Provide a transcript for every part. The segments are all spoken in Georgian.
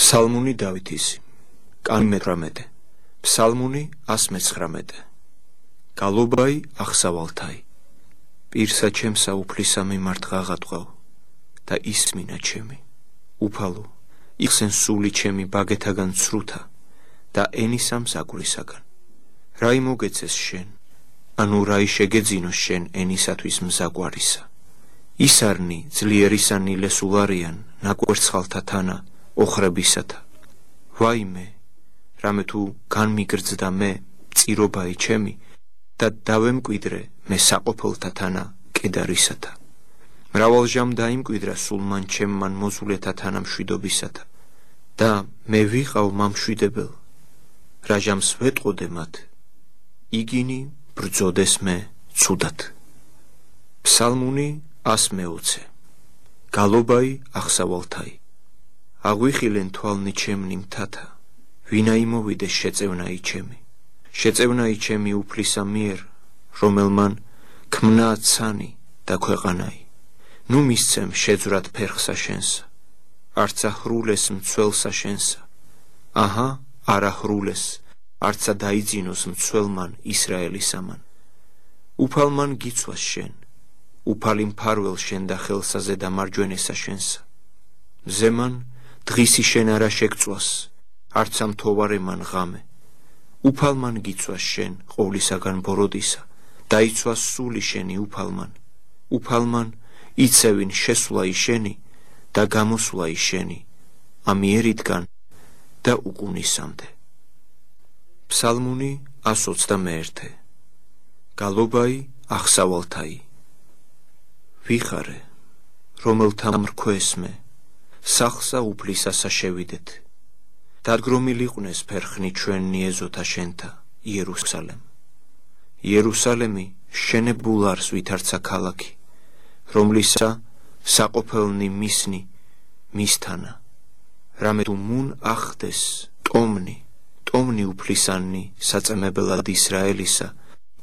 Psalmuni Davitis, Canmetramete, Psalmuni Asmetsramete, Galobai Axsavaltai, Pirsa Chemsa Uplisa Mimart Gagatqav, Da Ismina Chemi, Upalu, Ixen Suli Chemi Bagetagan Sruta, Da Enisam Sagurisagan, Raimogetses Shen, Anurai Shegedzinos Shen Enisatvis Mzaguarisa, Isarni, Zlierisani Lesularian, Naguertsxaltatana, ოხრებისათა ვაიმე რამე თუ განმიგრძდა მე წირობაი ჩემი და დავემკვიდრე მე საყოფელთა თანა კედარისათა მრავალჟამ დაიმკვიდრა სულმან ჩემმან მოზულეთა თანა მშვიდობისათა და მე ვიყავ მამშვიდებელ რა ჟამს ვეტყოდე მათ იგინი ბრძოდეს მე ცუდად ფსალმუნი 120 გალობაი ახსავალთაი აღვიხილენ თვალნი ჩემნი მთათა, ვინა იმოვიდეს შეწევნაი ჩემი უფლისა მიერ, რომელმან ქმნა ცანი და ქვეყანაი. ნუ მისცემ შეძვრად ფერხსა შენსა, არცა ჰრულეს მცველსა შენსა. აჰა, არა ჰრულეს, არცა დაიძინოს მცველმან ისრაელისამან. უფალმან გიცვას შენ, უფალი მფარველ შენ და ხელსაზე და მარჯვენესა შენსა. ზემან დღისი შენ არა შეგწვას, არცა მთოვარემან ღამე. უფალმან გიცვას შენ ყოვლისაგან ბოროდისა, დაიცვას სული შენი უფალმან. უფალმან იცევინ შესვლაი შენი და გამოსვლაი შენი, ამიერიდან და უკუნისამდე. ფსალმუნი 121 გალობაი ახსავალთაი ვიხარე, რომელთა მრქვეს მე სახსა უფლისასა შევიდეთ. დადგრომილიყვნეს ფერხნი ჩვენი ეზოთა შენთა იერუსალემ. იერუსალემი შენებულ არს ვითარცა ქალაქი, რომლისა საყოფელნი მისნი მისთანა. რამე თუ მუნ ახდეს ტომნი უფლისანი საწემებელად ისრაელისა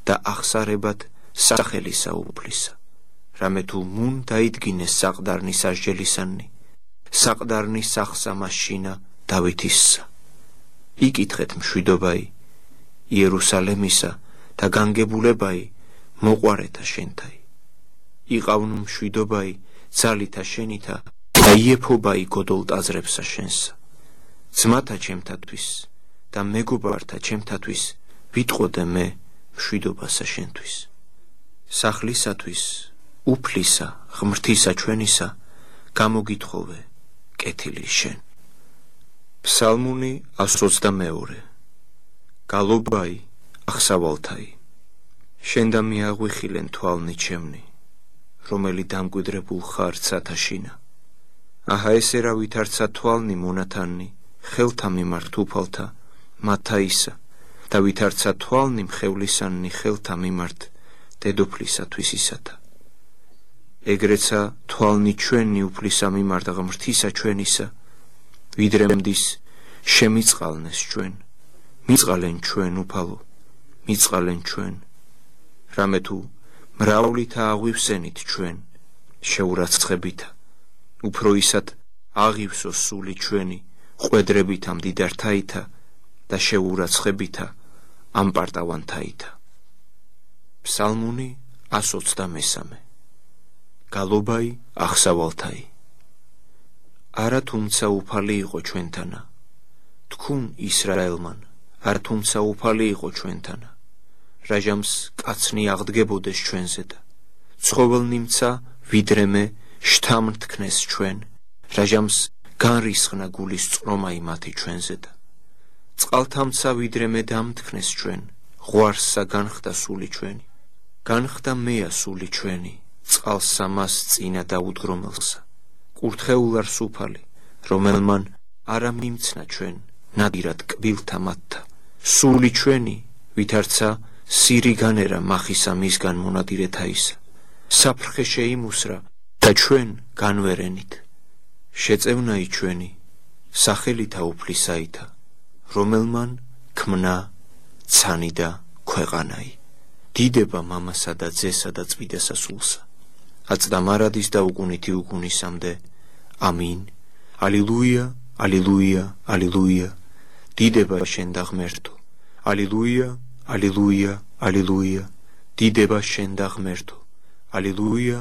და ახსარებად სახელისა უფლისა. რამე თუ მუნ დაიდგინეს საყდარნი სასჯელისანი, საყდარნი სახსა მაშინა დავითისსა. იკითხეთ მშვიდობაი იერუსალემისა და განგებულებაი მოყვარეთა შენთაი. იყავნ მშვიდობაი ძალითა შენითა და იეფობაი გოდოლტაზრებსა შენსა. ძმათა ჩემთათვის და მეგობართა ჩემთათვის ვიტყოდე მე მშვიდობასა შენთვის. სახლისათვის უფლისა ღმრთისა ჩვენისა გამოგითხოვე კეთილი შენ. ფსალმუნი 122 გალობაი ახსავალთაი შენ და მიაღვიხილენ თვალნი ჩემნი, რომელი დამკვიდრებულ ხარ ცათაშინა. აჰა ესე რა ვითარცა თვალნი მონათანნი, ხელთა მიმართ უფალთა მათაისა და ვითარცა თვალნი მხევლისანნი ხელთა მიმართ დედოფლისათვის ისათა. ეგრეცა თვალნი ჩვენი უფლისა მიმართ ღმრთისა ჩვენისა, ვიდრე მდის შემიწყალნეს ჩვენ, მიწყალენ ჩვენ უფალო, მიწყალენ ჩვენ, რამე თუ მრავლითა აღვივსენით ჩვენ, შეურაცხებითა, უფრო ისად აღივსოს სული ჩვენი, ყვედრებითა მდიდართაითა და შეურაცხებითა ამპარტავანთაითა. ფსალმუნი 123 გალობაი ახსავალთაი არა თუმცა უფალი იყო ჩვენთანა, თქուն ისრაელმან, არ თუმცა უფალი იყო ჩვენთანა, რა ჟამს კაცნი აღდგებოდეს ჩვენზე და ცხოველნიმცა ვიდრე მე შთამთქნეს ჩვენ, რა ჟამს განრისხნა გულის წრომაი მათი ჩვენზე და წყალთამცა ვიდრე მე დამთქნეს ჩვენ, ღვარსა განხდა სული ჩვენი, განხდა მეა სული ჩვენი, წყალსა მას წინა დაუდგრომელსა. კურთხეულარს უფალი, რომელმან არა მიმცნა ჩვენ, ნადირად კბილთა მათთა. სული ჩვენი, ვითარცა სირი განერა მახისა მისგან მონადირეთაისა. საფრხე შეიმუსრა და ჩვენ განვერენით. შეწევნაი ჩვენი, სახელითა უფლისაითა, რომელმან ქმნა ცანი და ქვეყანაი. დიდება მამასა და ძესა და წვიდესა სულსა. აწდა მარადის და უკუნითი უკუნისამდე. ამინ. ალილუია, ალილუია, ალილუია, დიდება შენ და ღმერთო, ალილუია, ალილუია, ალილუია, დიდება შენ და ღმერთო, ალილუია,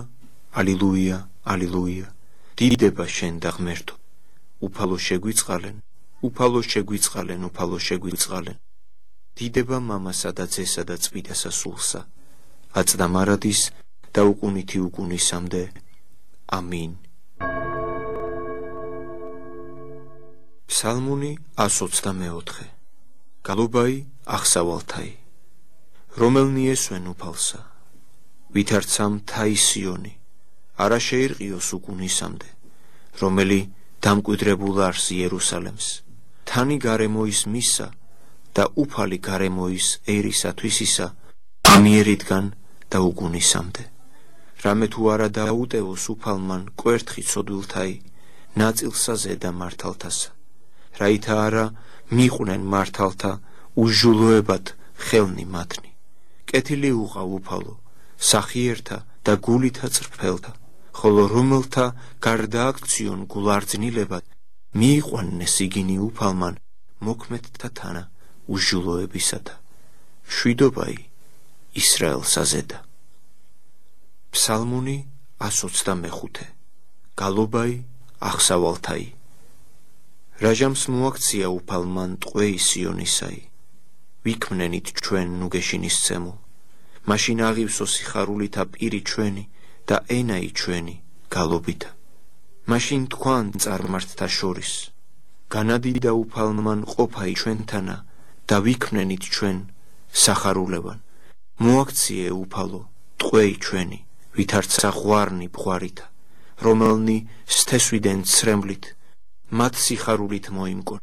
ალილუია, ალილუია, დიდება შენ და ღმერთო, უფალო შეგვიწყალენ, უფალო შეგვიწყალენ, უფალო შეგვიწყალენ, დიდება მამასა და ძესა და წმინდასა სულსა, აწ და მარადის და უკუნითი უკუნისამდე. ამინ. ფსალმუნი 124. გალობაი აღსავალთაი. რომელნი ესვენ უფალსა, ვითარცა მთაი სიონი, არა შეირყიოს უკუნისამდე, რომელი დამკვიდრებულ არს იერუსალემს, თანი გარემოის მისა და უფალი გარემოის ერისათვის ისა, ამიერიდან და უკუნისამდე. რამე თუ არა დაუტევოს უფალმან კვერთხი ცოდვილთაი, ნაწილსა ზედა მართალთასა, რაითა არა მიყვნენ მართალთა უშულოებად ხელნი მათნი. კეთილი უყავ უფალო, სახიერთა და გულითა წრფელთა, ხოლო რომელთა გარდააქციონ გულარძნილებად, მიიყვანნეს იგინი უფალმან მოქმედთა თანა უშულოებისათა. შვიდობაი ისრაელსა ზედა. ფსალმუნი 125. გალობაი აღსავალთაი. რაჟამს მოაქცია უფალმან ტყვეი სიონისაი, ვიქმნენით ჩვენ ნუგეშინისცემულ, მაშინ აღივსო სიხარულითა პირი ჩვენი და ენაი ჩვენი გალობითა. მაშინ თქვან წარმართთა შორის, განადიდა უფალმან ყოფაი ჩვენთანა და ვიქმნენით ჩვენ სახარულევან. მოაქციე უფალო ტყვეი ჩვენი, ვითარცა ღვარნი ბღვარითა, რომელნი სთესვიდან ცრემლით, მათ სიხარულით მოიმკონ,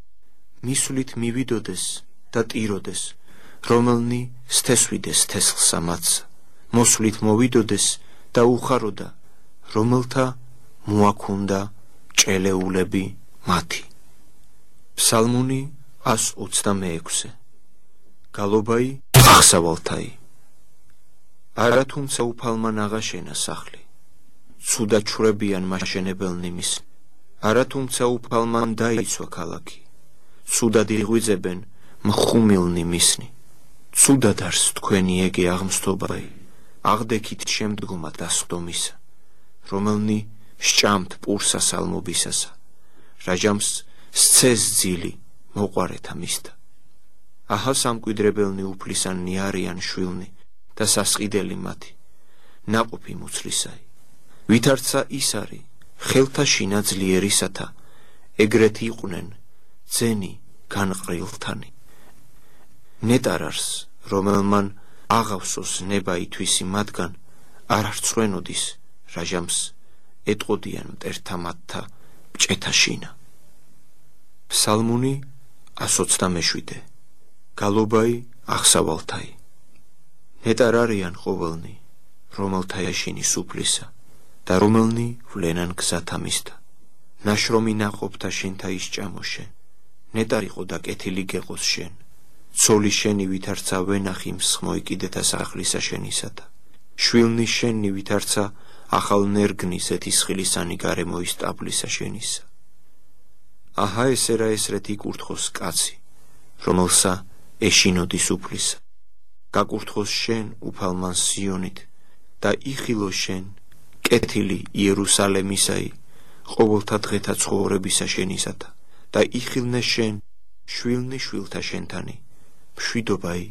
მისვლით მივიდოდეს და ტიროდეს, რომელნი სთესვიდეს თესლსა მათსა, მოსვლით მოვიდოდეს და უხაროდა, რომელთა მოაქუნდა ჭელეულები მათი. ფსალმუნი 126. გალობაი აღსავალთაი. არა თუმცა უფალმან აღაშენა სახლი, ცუდა ჩვრებიან მაშენებელნი მის, არა თუმცა უფალმან დაიცვა ქალაქი, ცუდად იღვიძებენ მხუმილნი მისნი. ცუდად არს თქვენი ეგე აღმსთობაი, აღდექით შემდგომად დასხდომისა, რომელნი სჭამთ პურსა სალმობისასა, რაჟამს სცეს ძილი მოყვარეთა მისთა. აჰა სამკვიდრებელნი უფლისანნი არიან შვილნი და სასყიდელი მათი, ნაყოფი მუცლისაი. ვითარცა ის არის ხელთა შინა ძლიერისათა, ეგრეთ იყვნენ ძენი განყრილთანი. ნეტარარს, რომელმან აღავსოს ნება ითვისი მათგან, არ არცხვენოდის, რაჟამს ეტყოდიან მტერთა მათთა ბჭეთა შინა. ფსალმუნი 127. გალობაი აღსავალთაი. ნეტარ არიან ყოველნი, რომელთა ეშინის უფლისა და რომელნი ვლენან გზათა მისთა. ნაშრომი ნაყოფთა შენთა ისჭამოშენ, ნეტარ იყო და კეთილი გეყოს შენ, ცოლი შენი ვითარცა ვენახი მსხმოიკიდეთა სახლისა შენისათა, შვილნი შენი ვითარცა ახალ ნერგნი ზეთისხილისანი გარემოის ტაბლისა შენისა. აჰა ესერა ესრეთ იკურთხოს კაცი, რომელსა ეშინოდის უფლისა, გაკურთხოს შენ უფალმან სიონით და იხილო შენ კეთილი იერუსალემისაი ყოველთა დღეთა ცხოვრებისა შენისათა და იხილნე შენ შვილნი შვილთა შენთანი, მშვიდობაი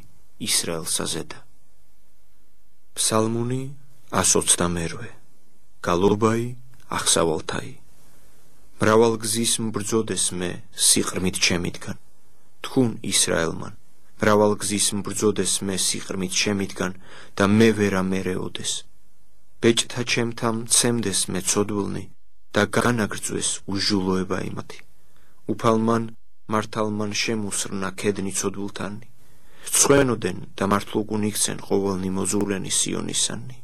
ისრაელსა ზედა. ფსალმუნი 122. გალობაი აღსავალთაი. მრავალგზის mbრძოდეს მე სიყრმით ჩემითგან, თქուն ისრაელმან, მრავალგზის mbრძოდეს მე სიყრმით ჩემითგან და მე ვერ ამერეოდეს. ბეჭთა ჩემთა მცემდეს მე ცოდვილნი და განაგრძვეს უშულოება იმათი. უფალმან მართალმან შემუსრნა ქედნი ცოდვილთანი, ცხვენოდენ და მართლუკუნ იქცენ ყოველნი მოზულენი სიონისანი.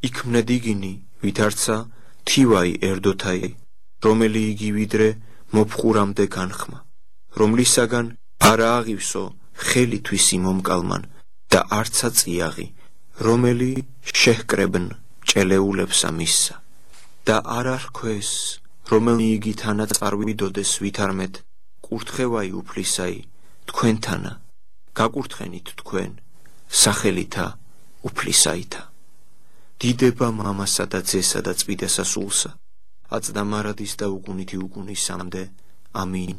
იქმნე დგინი ვითარცა თივაი ერდოთაი, რომელი იგი ვიდრე მოფხურამდე განხმა, რომლისაგან არა აღივსო ხელითვის იმომკალმან და არცა წიაღი, რომელი შეჰკრებნ ჭელეულებსა მისსა და არ არქვეს, რომელი იგი თანა წარვიდოდეს ვითარმეთ კურთხევაი უფლისაი თქვენთანა გაკურთხენით თქვენ სახელითა უფლისაითა დიდება მამასა და ძესა და წმინდასა სულსა აწდა მარადის და უგუნითი უგუნისამდე ამინ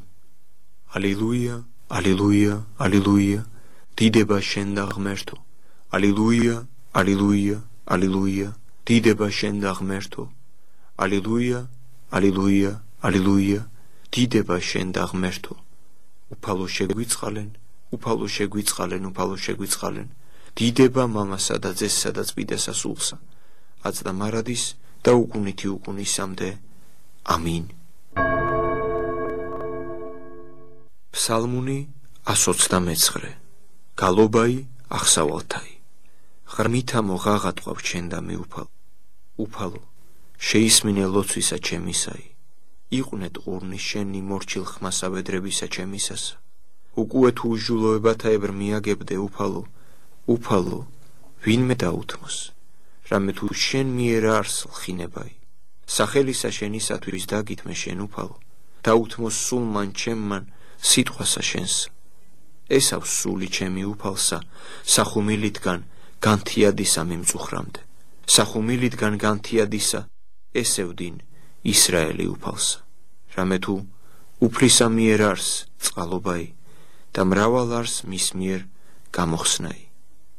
ალილუია ალილუია ალილუია დიდება შენ და ღმერთო ალილუია ალილუია ალილუია დიდება შენ და ღმერთო ალილუია ალილუია ალილუია დიდება შენ და ღმერთო უფალო შეგვიწყალენ უფალო შეგვიწყალენ უფალო შეგვიწყალენ დიდება მამასა და ძესსა და წმინდასა სულსა აწდა მარადის და უგუნითი უგუნისამდე ამინ ფსალმუნი 129 გალობაი აღსავალთაი ღრმითა მოღაღატყვავ შენ და მე უფალო შეისმინე ლოცვისა ჩემისაი იყვნენ ყურნის შენი მორჩილ ხმასა ვედრებისა ჩემისასა უკუე თუ უჟულოებათა ებრ მიაგებდე უფალო ვინმე დაუთმოს რამე თუ შენ მიერ არს ლხინებაი სახელისა შენისათვის დაგითმე შენ უფალო დაუთმოს სულმან ჩემმან სიტყვასა შენს ესავ სული ჩემი უფალსა სახუმილითგან განთიადისა მიმწუხრამდე სახუმილითგან განთიადისა ესევდინ ისრაელი უფალსა რამე თუ უფლისა მიერ არს წყალობაი და მრავალ არს მის მიერ გამოხსნაი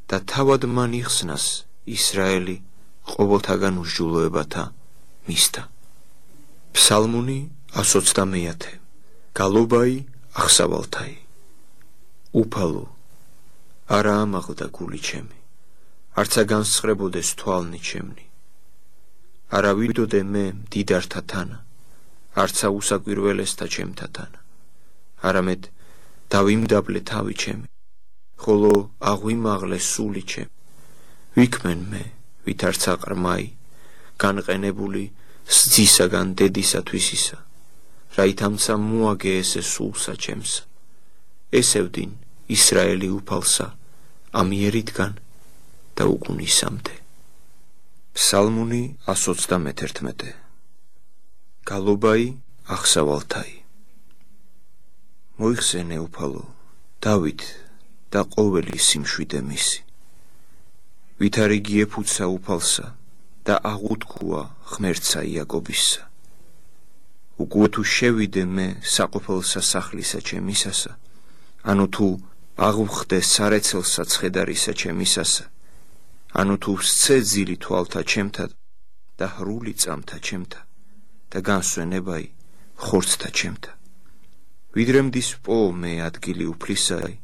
და თავად მან იხსნას ისრაელი ყოველთაგან უსჯულოებათა მისთა ფსალმუნი 129 გალობაი აღსავალთაი უფალო არა ამაღლდა გული ჩემი არცა განსხრებოდეს თვალნი ჩემნი არა ვიდოდე მე მდიდართა თანა არცა უსაკვირველესთა ჩემთა თანა არამედ დავიმდაბლე თავი ჩემი ხოლო აღვიმაღლე სული ჩემი ვიქმენ მე ვით არცა ყრმაი განყენებული სძისაგან დედისათვისისა რაითამცა მოაგე ესე სულსა ჩემსა ესევდინ ისრაელი უფალსა ამიერითგან და უგუნისამდე ფსალმუნი 131 გალობაი აღსავალთაი მოიხსენე უფალო დავით და ყოველი სიმშვიდე მისი ვით არ იგი ეფუცა უფალსა და აღუთქუა ღმერთსა იაკობისა უკუე თუ შევიდე მე საყოფელსა სახლისა ჩემისასა ანუ თუ აღვხდე სარეცელსა ცხედარისა ჩემისასა ანუ თუ სცე ძილი თვალთა ჩემთა და ხრული წამთა ჩემთა და განსვენებაი ხორცთა ჩემთა ვიდრე მდის პო მე ადგილი უფლისაი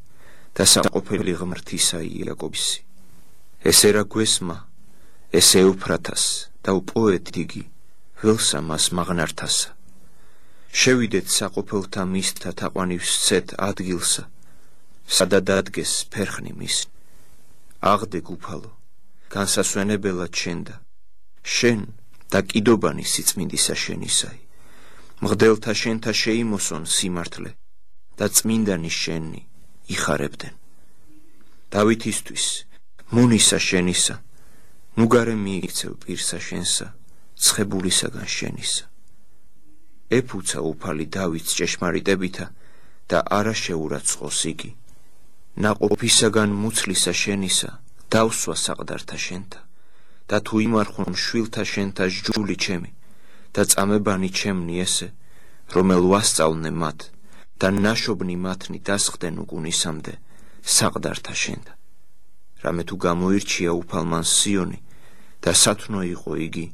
და საყოფელი ღმრთისაი იაკობისი ესე რა გვესმა ესე უფრათას და უპოეთ დიდი ველსა მას მაღნართასა შევიდეთ საყოფელთა მისთა თაყვანივ სცეთ ადგილსა სადაც დადგეს ფერხნი მისნი აღდე უფალო განსასვენებელად შენ და შენ და კიდობანი სიწმინდისა შენისაი მღდელთა შენთა შეიმოსონ სიმართლე და წმინდანი შენი იხარებდნენ დავითისთვის მონისა შენისა ნუგარე მიიქცევ პირსა შენსა ცხებულისაგან შენისა ეფუცა უფალი დავითს ჭეშმარიტებითა და არა შეურაცხყოს იგი ნაყოფისაგან მუცლისა შენისა დავსვა საყდართა შენთა და თუ იმარხონ შვილთა შენთა ჯული ჩემი და წამებანი ჩემნი ესე რომელ ვასწავლნე მათ და ნაშობნი მათნი დასხდნენ უგუნისამდე საყდართა შენთა რამე თუ გამოირჩია უფალმან სიონი და სათნო იყო იგი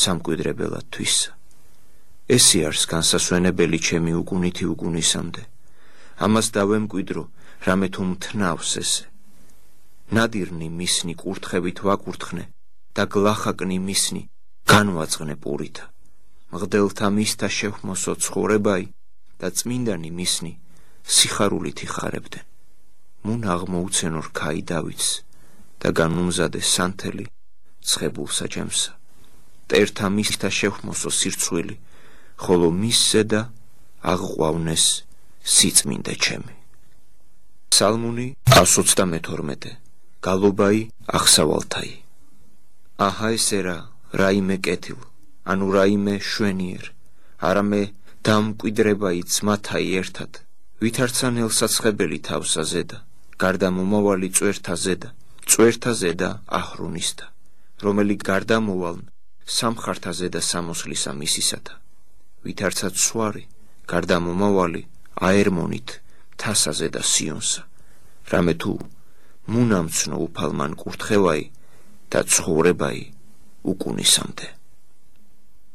სამკვიდრებელად თვისა ესი არის განსასვენებელი ჩემი უგუნითი უგუნისამდე ამას დავემკვიდრო რამე თუ მთნავს ესე ნადირნი მისნი კურთხებით ვაკურთხნე და გლახაკნი მისნი განვაწყნე პურითა მღდელთა მისთა შევხმოსო ცხოვრებაი და წმინდანი მისნი სიხარულით იხარებდნენ მუნ აღმოუცენო რქაი დავითს და განუმზადე სანთელი ცხებულსა ჩემსა მტერთა მისთა შევხმოსო სირცხვილი ხოლო მის ზედა აღყვავნეს სიწმინდე ჩემი ფსალმუნი 132 გალობაი აღსავალთაი აჰა ესე რა რაიმე კეთილ ანუ რაიმე შვენიერ არამე დამკვიდრება ძმათა ერთად, ვითარცანელ საცხებელი თავსა ზედა, გარდა მომავალი წვერთა ზედა აჰრონისთა, რომელი გარდამოვალ სამხართა ზედა სამოსლისა მისისათა, ვითარცად სვარი, გარდამომავალი აერმონით თასა ზედა სიონსა, რამე თუ მუნამცნო უფალმან კურთხევაი და ცხოვრებაი უკუნისამდე.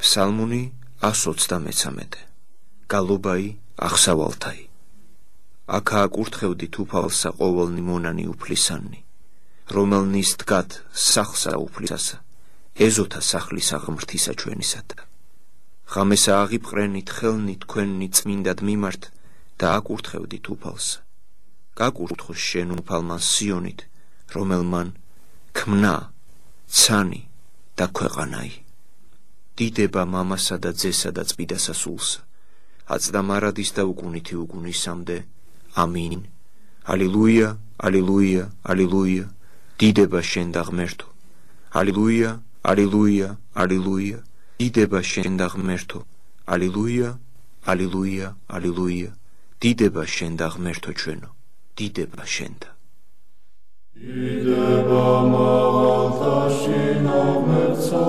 ფსალმუნი 133. გალობაი აღსავალთაი. აქაა კურთხევდით უფალსა ყოველნი მონანი უფლისანნი, რომელნის დგათ სახლსა უფლისასა, ეზოთა სახლის აღმრთისა ჩვენისათა. ღამესა აღიპყრენით ხელნი თქვენნი წმინდად მიმართ და აკურთხევდით უფალსა. გაკურთხოს შენ უფალმან სიონით, რომელმან ქმნა, ცანი და ქვეყანაი. დიდება მამასა და ძესა და წმიდასა სულსა, აწდა მარადის და უკუნითი უკუნისამდე. ამინ. ალილუია, ალილუია, ალილუია, დიდება შენ და ღმერთო. ალილუია, ალილუია, ალილუია, დიდება შენ და ღმერთო. ალილუია, ალილუია, ალილუია, დიდება შენ და ღმერთო ჩვენო. დიდება შენდა. დიდება მაღალთაში ნაღმერთსა,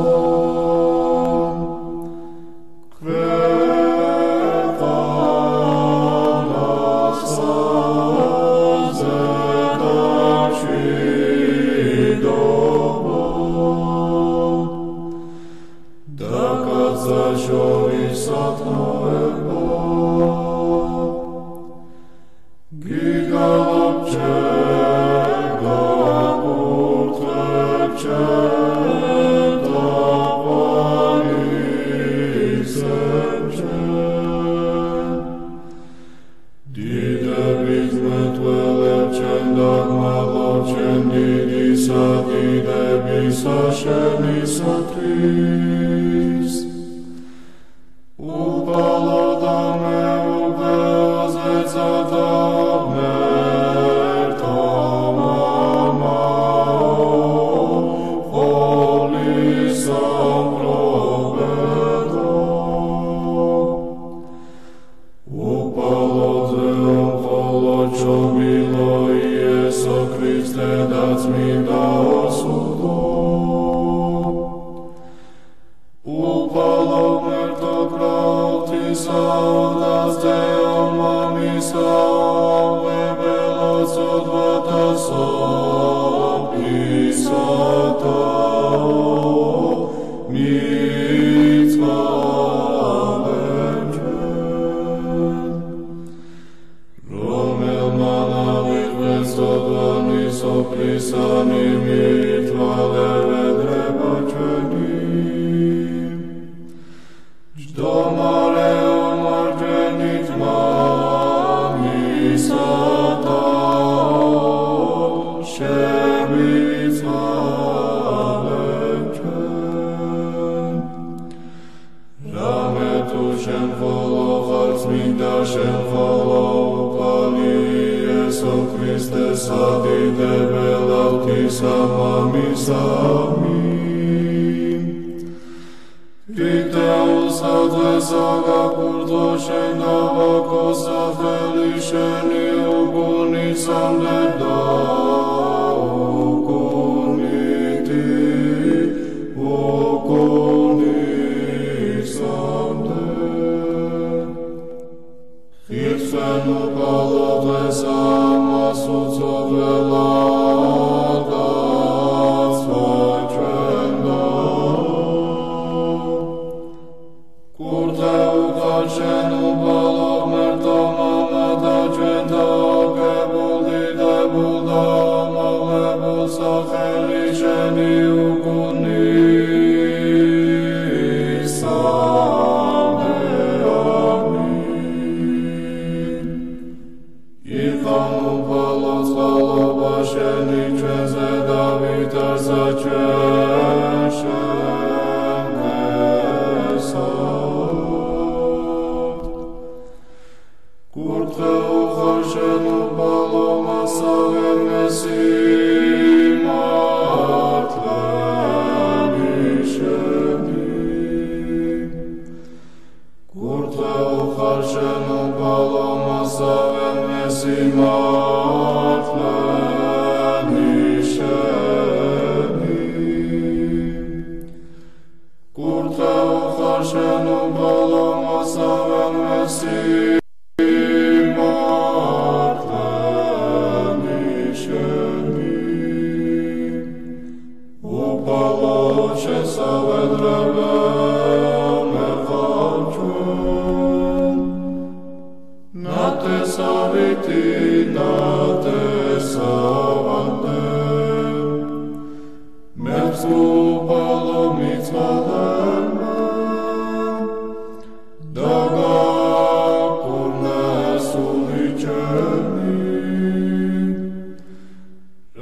Palomazavem esimatleni sheni Kurta ucharshenum palomazavem esimatleni sheni Upaloche savedreve Nate saviti, nate savante, Mepsu palomitzvalema, Daga kurnes uličeni,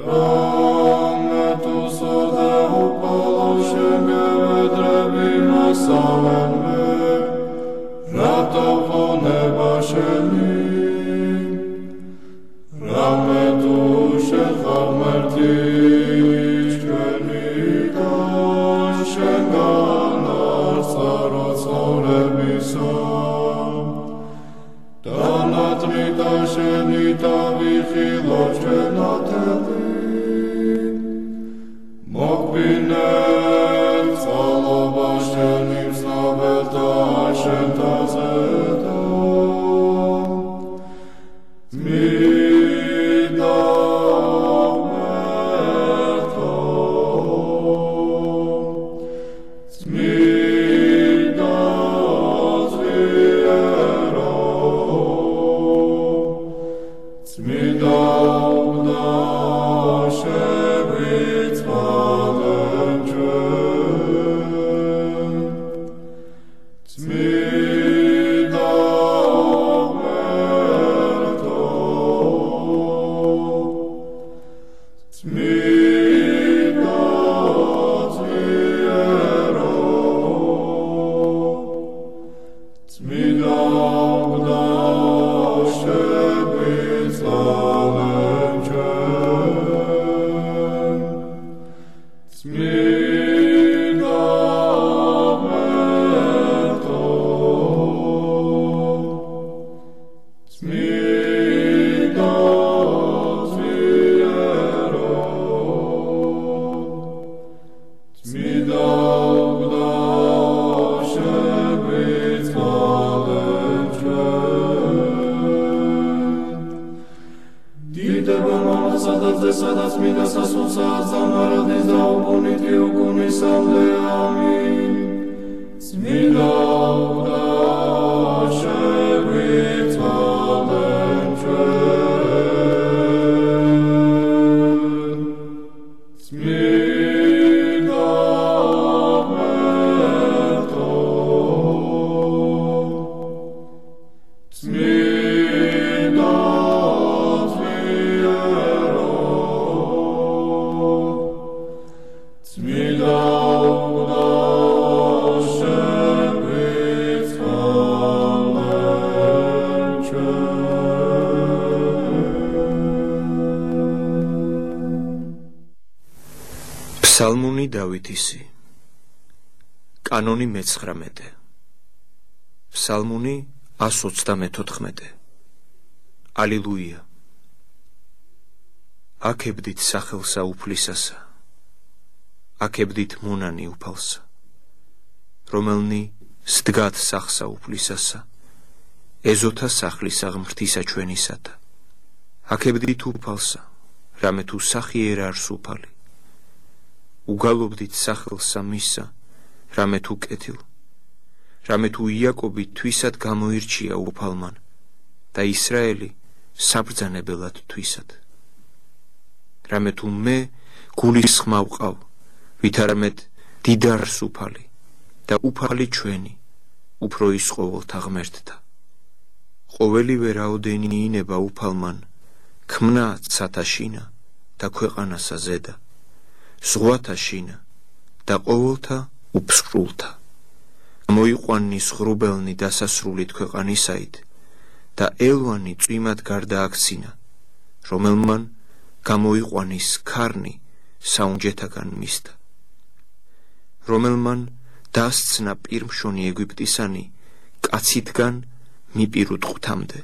Rametu sode upalošenge vedrebima savenme, Ratavo nebasheni, Rametu shechamrtichkeni da shenganar tsarotzaurebisa Danatrita shenita vichilochkenateli Mokbinet tzalobashenim snabeta shentazeta Psalmuni Davidisi Kanoni მე-19 Psalmuni 134 Ალილუია Აკებდით სახელსა უფლისასა Აკებდით მონანი უფალსა რომელნი სდგათ სახსა უფლისასა ეზოთა სახლისა ღმრთისა ჩვენისათა აკებდით უფალსა რამე თუ სახი არ არის უფალი უგალობდით სახელსა მისა რამე თუ კეთილ რამე თუ იაკობი თვისად გამოირჩია უფალმან და ისრაელი საბრძანებელად თვისად რამე თუ მე გულის ხმა ვყავ ვითარამედ დიდარს უფალი და უფალი ჩვენი უფრო ის ყოველთა ღმერთთა ყოველივე რაოდენი ინება უფალმან ქმნა ცათაშინა და ქვეყანასა ზედა ზღვათა შინა და ყოველთა უფსრულთა მოიყვანნის ღრუბელნი დასასრულით ქვეყანისაით და ელვანი წვიმად გარდააქცინა რომელმან გამოიყვანის ქარნი საუნჯეთაგან მისთა რომელმან დასცნა პირმშონი ეგვიპტისანი კაცითგან მიპირუთ ღვთამდე,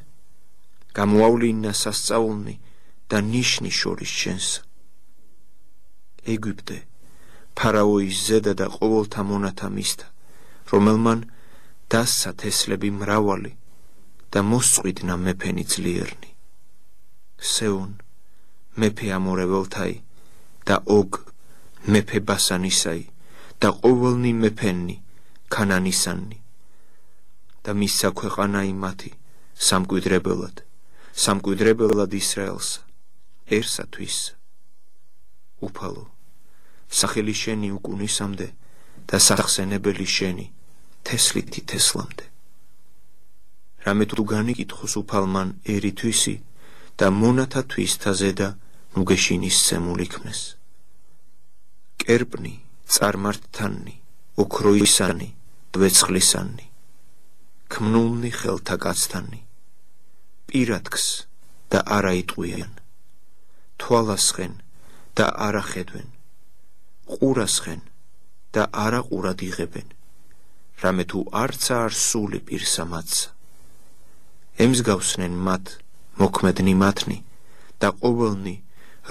გამოავლინა სასწაულნი და ნიშნი შორის შენსა. ეგვიპტე, ფარაოის ზედა და ყოველთა მონათა მისთა, რომელმან დასცა თესლები მრავალი და მოსწყვიტნა მეფენი ძლიერნი. სეონ, მეფე ამორეველთაი და ოგ, მეფე ბასანისაი და ყოველნი მეფენი ქანანისანი და მისცა ქვეყანაი მათი სამკვიდრებელად ისრაელსა,ერსათვის. უფალო, სახელი შენი უკუნისამდე და სახსენებელი შენი თესლითი თესლამდე. რამე თუ განიკითხოს უფალმან ერითვისი და მონათა თვისთაზე და ნუგეშინისცემულ იქნეს. კერპნი, წარმართთანი, ოქროისანი, დვეცხლისანი, ქმნულნი ხელთა კაცთანი, პირადქს და არა იტყვიან, თვალასხენ და არა ხედვენ, ყურასხენ და არა ყურად იღებენ, რამე თუ არცა არ სული პირსა მათსა. ემსგავსნენ მათ მოქმედნი მათნი და ყოველნი,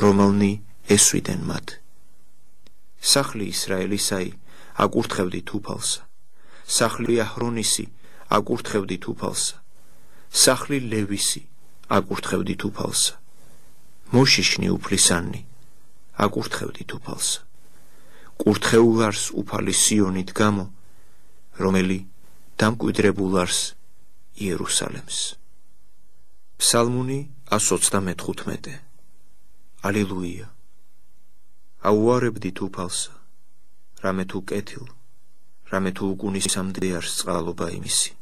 რომელნი ესვიდენ მათ. სახლი ისრაელისაი აკურთხევდით უფალსა, სახლი აჰრონისი აკურთხევდით უფალსა, სახლი ლევისი აკურთხევდით უფალსა, მოშიშნი უფლისანი აკურთხევდით უფალსა. კურთხეულ არს უფალი სიონით გამო, რომელი დამკვიდრებულ არს იერუსალემს. ფსალმუნი 125. ალილუია. აუარებდით უფალსა, რამე თუ კეთილ, რამე თუ უკუნისამდე არს წყალობა იმისი.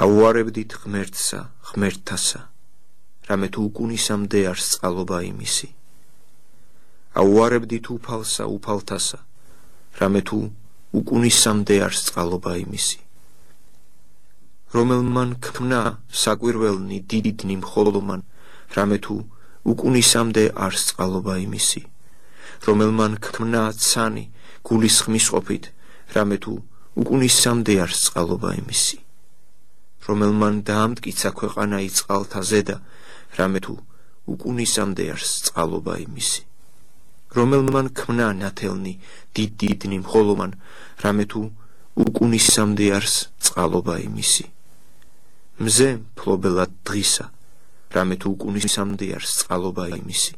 აუარებდით ღმერთსა, ღმერთთასა, რამე თუ უკუნისამდე არს წყალობა იმისი. აუარებდით უფალსა, უფალთასა, რამე თუ უკუნისამდე არს წყალობა იმისი. რომელმან ქმნა საკვირველნი დიდიდნი მხოლომან, რამე თუ უკუნისამდე არს წყალობა იმისი. რომელმან ქმნა ცანი გულისხმის ყოფით, რამე თუ უკუნისამდე არს წყალობა იმისი. რომელმან დაამტკიცა ქვეყანა წყალთა ზედა, რამე თუ უკუნისამდე არს წყალობა იმისი. რომელმან ქმნა ნათელნი დიდიდნი მხოლომან, რამე თუ უკუნისამდე არს წყალობა იმისი. მზე მფლობელად დღისა, რამე თუ უკუნისამდე არს წყალობა იმისი.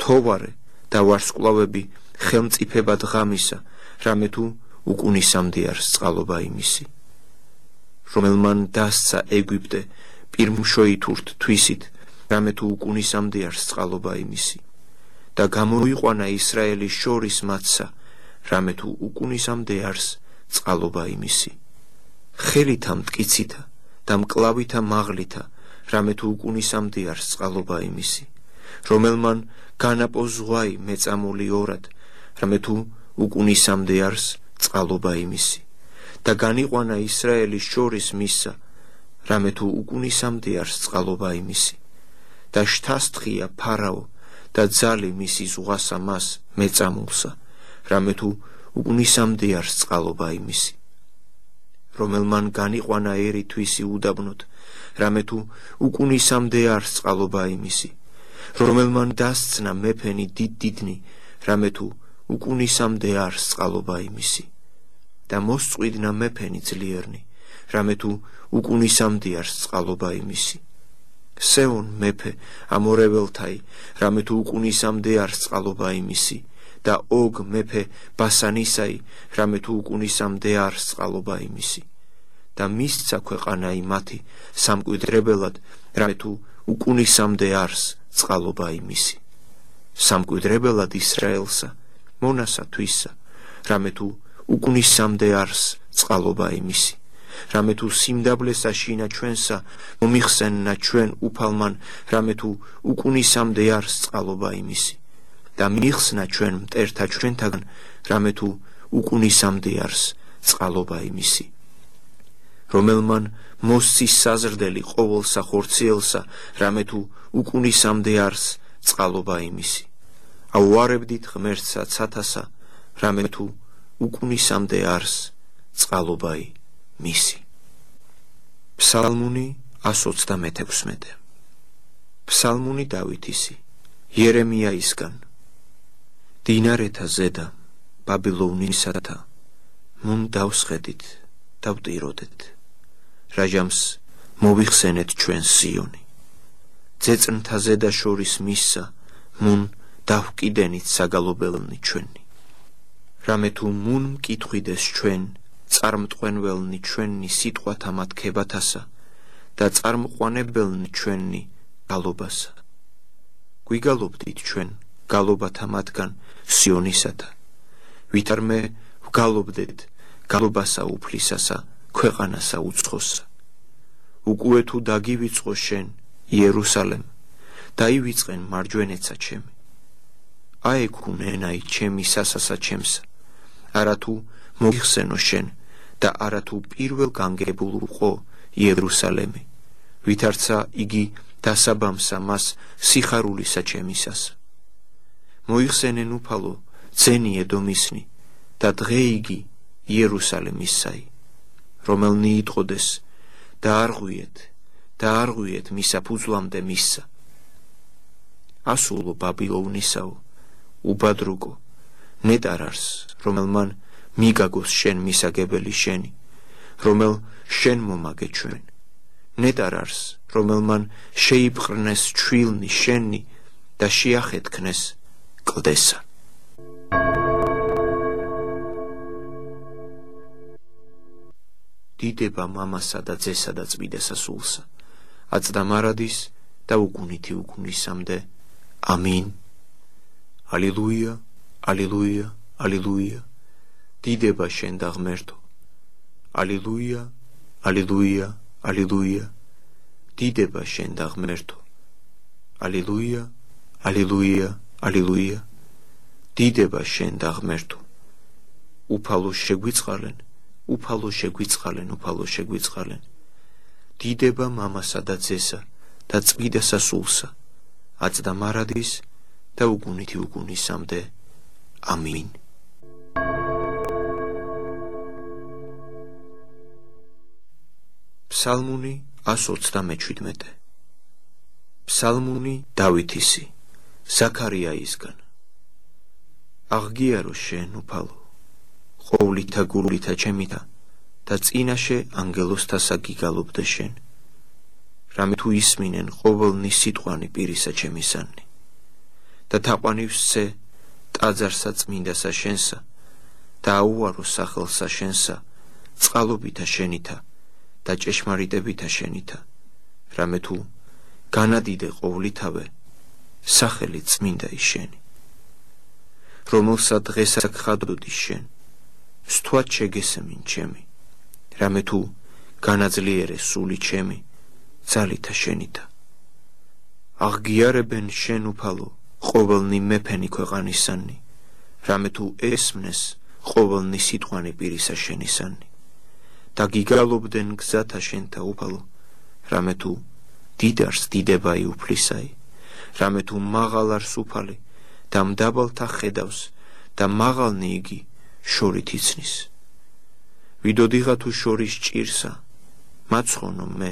თოვარე და ვარსკვლავები ხელმწიფებად ღამისა, რამე თუ უკუნისამდე არს წყალობა იმისი. რომელმან დასცა ეგვიპტე პირმშოითურთ თვისით, რამე თუ უკუნისამდე არს წყალობა იმისი. და გამოიყვანა ისრაელის შორის მათსა, რამე თუ უკუნისამდე არს წყალობა იმისი. ხელითა მტკიცითა და მკლავითა მაღლითა, რამე თუ უკუნისამდე არს წყალობა იმისი. რომელმან განაპო ზღვაი მეწამული ორად, რამე თუ უკუნისამდე არს წყალობა იმისი. და განიყვანა ისრაელის შორის მისსა, რამე თუ უკუნისამდე არს წყალობა იმისი. და შთასთხია ფარაო და ძალი მისი ზღვასა მას მეწამულსა, რამე თუ უკუნისამდე არს წყალობა იმისი. რომელმან განიყვანა ერითვისი უდაბნოთ, რამე თუ უკუნისამდე არს წყალობა იმისი. რომელმან დასცნა მეფენი დიდდიდნი, რამე თუ უკუნისამდე არს წყალობა იმისი. და მოსწყვიდნა მეფენი ძლიერნი, რამე თუ უკუნისამდე არს წყალობა იმისი. სეონ მეფე ამორეველთაი, რამე თუ უკუნისამდე არს წყალობა იმისი. და ოგ მეფე ბასანისაი, რამე თუ უკუნისამდე არს წყალობა იმისი. და მისცა ქვეყანაი მათი სამკვიდრებელად, რამე თუ უკუნისამდე არს წყალობა იმისი. სამკვიდრებელად ისრაელსა, მონასა თვისა, რამე თუ უკუნისამდე არს წყალობა იმისი. რამე თუ სიმდაბლესა შინა ჩვენსა, მომიხსენნა ჩვენ უფალმან, რამე თუ უკუნისამდე არს წყალობა იმისი. და მიხსნა ჩვენ მტერთა ჩვენთაგან, რამე თუ უკუნისამდე არს წყალობა იმისი. რომელმან მოსცის საზრდელი ყოველსა ხორციელსა, რამე თუ უკუნისამდე არს წყალობა იმისი. აუარებდით ღმერთსა ცათასა, რამე თუ უკუნისამდე არს წყალობა იმისი. ფსალმუნი 126. ფსალმუნი დავითისი, იერემიაისგან. დინარეთა ზედა, ბაბილონისათა, მუნ დავსხედით, დავტიროდეთ. რაჟამს მოვიხსენეთ ჩვენ სიონი. ძეწნთა ზედა შორის მისსა, მუნ დავკიდენით საგალობელნი ჩვენი. რამე თუ მუნ მკითხვიდეს ჩვენ, წარმტყვენველნი ჩვენი სიტყვათა მათქებათასა და წარმყვანებელნი ჩვენი გალობასა. გვიგალობდით ჩვენ გალობათა მათგან სიონისათა, ვითარმე ვგალობდეთ გალობასა უფლისასა, ქვეყანასა უცხოსა. უკვე თუ დაგივიწყო შენ, იერუსალემ, დაივიწყენ მარჯვენეცა ჩემი. აექუნ ენაი ჩემი სასასა ჩემსა, არათუ მოიხსენო შენ და არათუ პირველ განგებულ უყო იერუსალემი, ვითარცა იგი დასაბამსა მას სიხარულისა ჩემისასა. მოიხსენენ უფალო ძენი ედომისნი და დღე იგი იერუსალემისაი, რომელნი იტყოდეს და არღვიეთ მისა ფუძლამდე მისსა. ასულო ბაბილონისაო, უბადრუგო, ნეტარარს, რომელმან მიგაგოს შენ მისაგებელი შენი, რომელ შენ მომაგე ჩვენ. ნეტარარს, რომელმან შეიპყრნეს ჩვილნი შენი და შეახეთქნეს კლდესა. დიდება მამასა და ძესა და წმიდესა სულსა, აწდა მარადის და უგუნითი უგუნისამდე. ამინ. ალილუია, ალილუია, ალილუია. დიდება შენ და ღმერთო. ალილუია, ალილუია, ალილუია. დიდება შენ და ღმერთო. ალილუია, ალილუია, ალილუია. დიდება შენ და ღმერთო. უფალო შეგვიწყალენ, უფალო შეგვიწყალენ, უფალო შეგვიწყალენ. დიდება მამასა და ძესა და წმიდასა სულსა, აწდა მარადის და უგუნითი უგუნისამდე. ამინ. ფსალმუნი 127. ფსალმუნი დავითისი, ზაქარიაისგან. აღგიარო შენ უფალო, ყოვლითა გულითა ჩემითა და წინაშე ანგელოსთასა გიგალობდე შენ. რამე თუ ისმინენ ყოველნი სიტყვანი პირისა ჩემისანი და თაყვანივსცე ტაძარსა წმინდასა შენსა და აუარო სახელსა შენსა წყალობითა შენითა და ჭეშმარიტებითა შენითა. რამე თუ განადიდე ყოვლითავე სახელი წმინდა შენი, რომელსა დღესა გხადოდი შენ, სთვად შეგესემინ ჩემი. რამე თუ განაძლიერე სული ჩემი ძალითა შენითა. აღგიარებენ შენ უფალო ყოველნი მეფენი ქვეყანისანი, რამე თუ ესმნეს ყოველნი სიტყვანი პირისა შენისანი. და გიგალობდნენ გზათა შენთა უფალო, რამე თუ დიდარს დიდებაი უფლისაი, რამე თუ მაღალარს უფალი და მდაბალთა ხედავს და მაღალნი იგი შორით იცნის. ვიდოდიღა თუ შორის ჭირსა, მაცხონო მე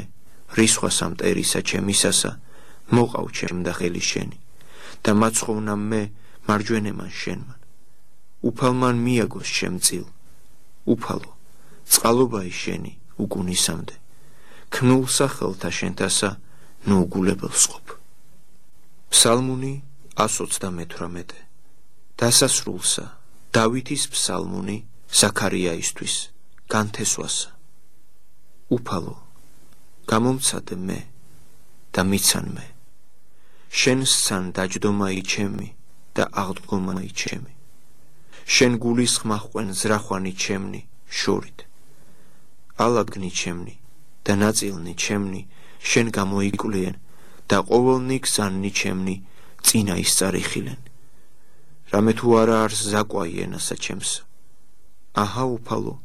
რისხვასა მტერისა ჩემისასა, მოყავ ჩემ და ხელი შენი და მაცხოვნა მე მარჯვენემან შენმან. უფალმან მიაგოს შემწილ, უფალო წყალობაი შენი უგუნისამდე, ქნულ სახელთა შენთასა ნუ უგულებელს ყოფ. ფსალმუნი 128. დასასრულსა დავითის ფსალმუნი ზაქარიაისთვის განთესვასა. უფალო გამომცადე მე და მიცან მე, შენ სცან დაჯდომაი ჩემი და აღდგომაი ჩემი, შენ გულისხმა ხვენ ზრახვანი ჩემნი შორით. ალაგნი ჩემნი და ნაწილნი ჩემნი შენ გამოიკვლიენ და ყოველნი გზანნი ჩემნი წინა ისწარიხილენ. რამე თუ არა არს ზაკვაი ენასა ჩემსა. აჰა უფალო,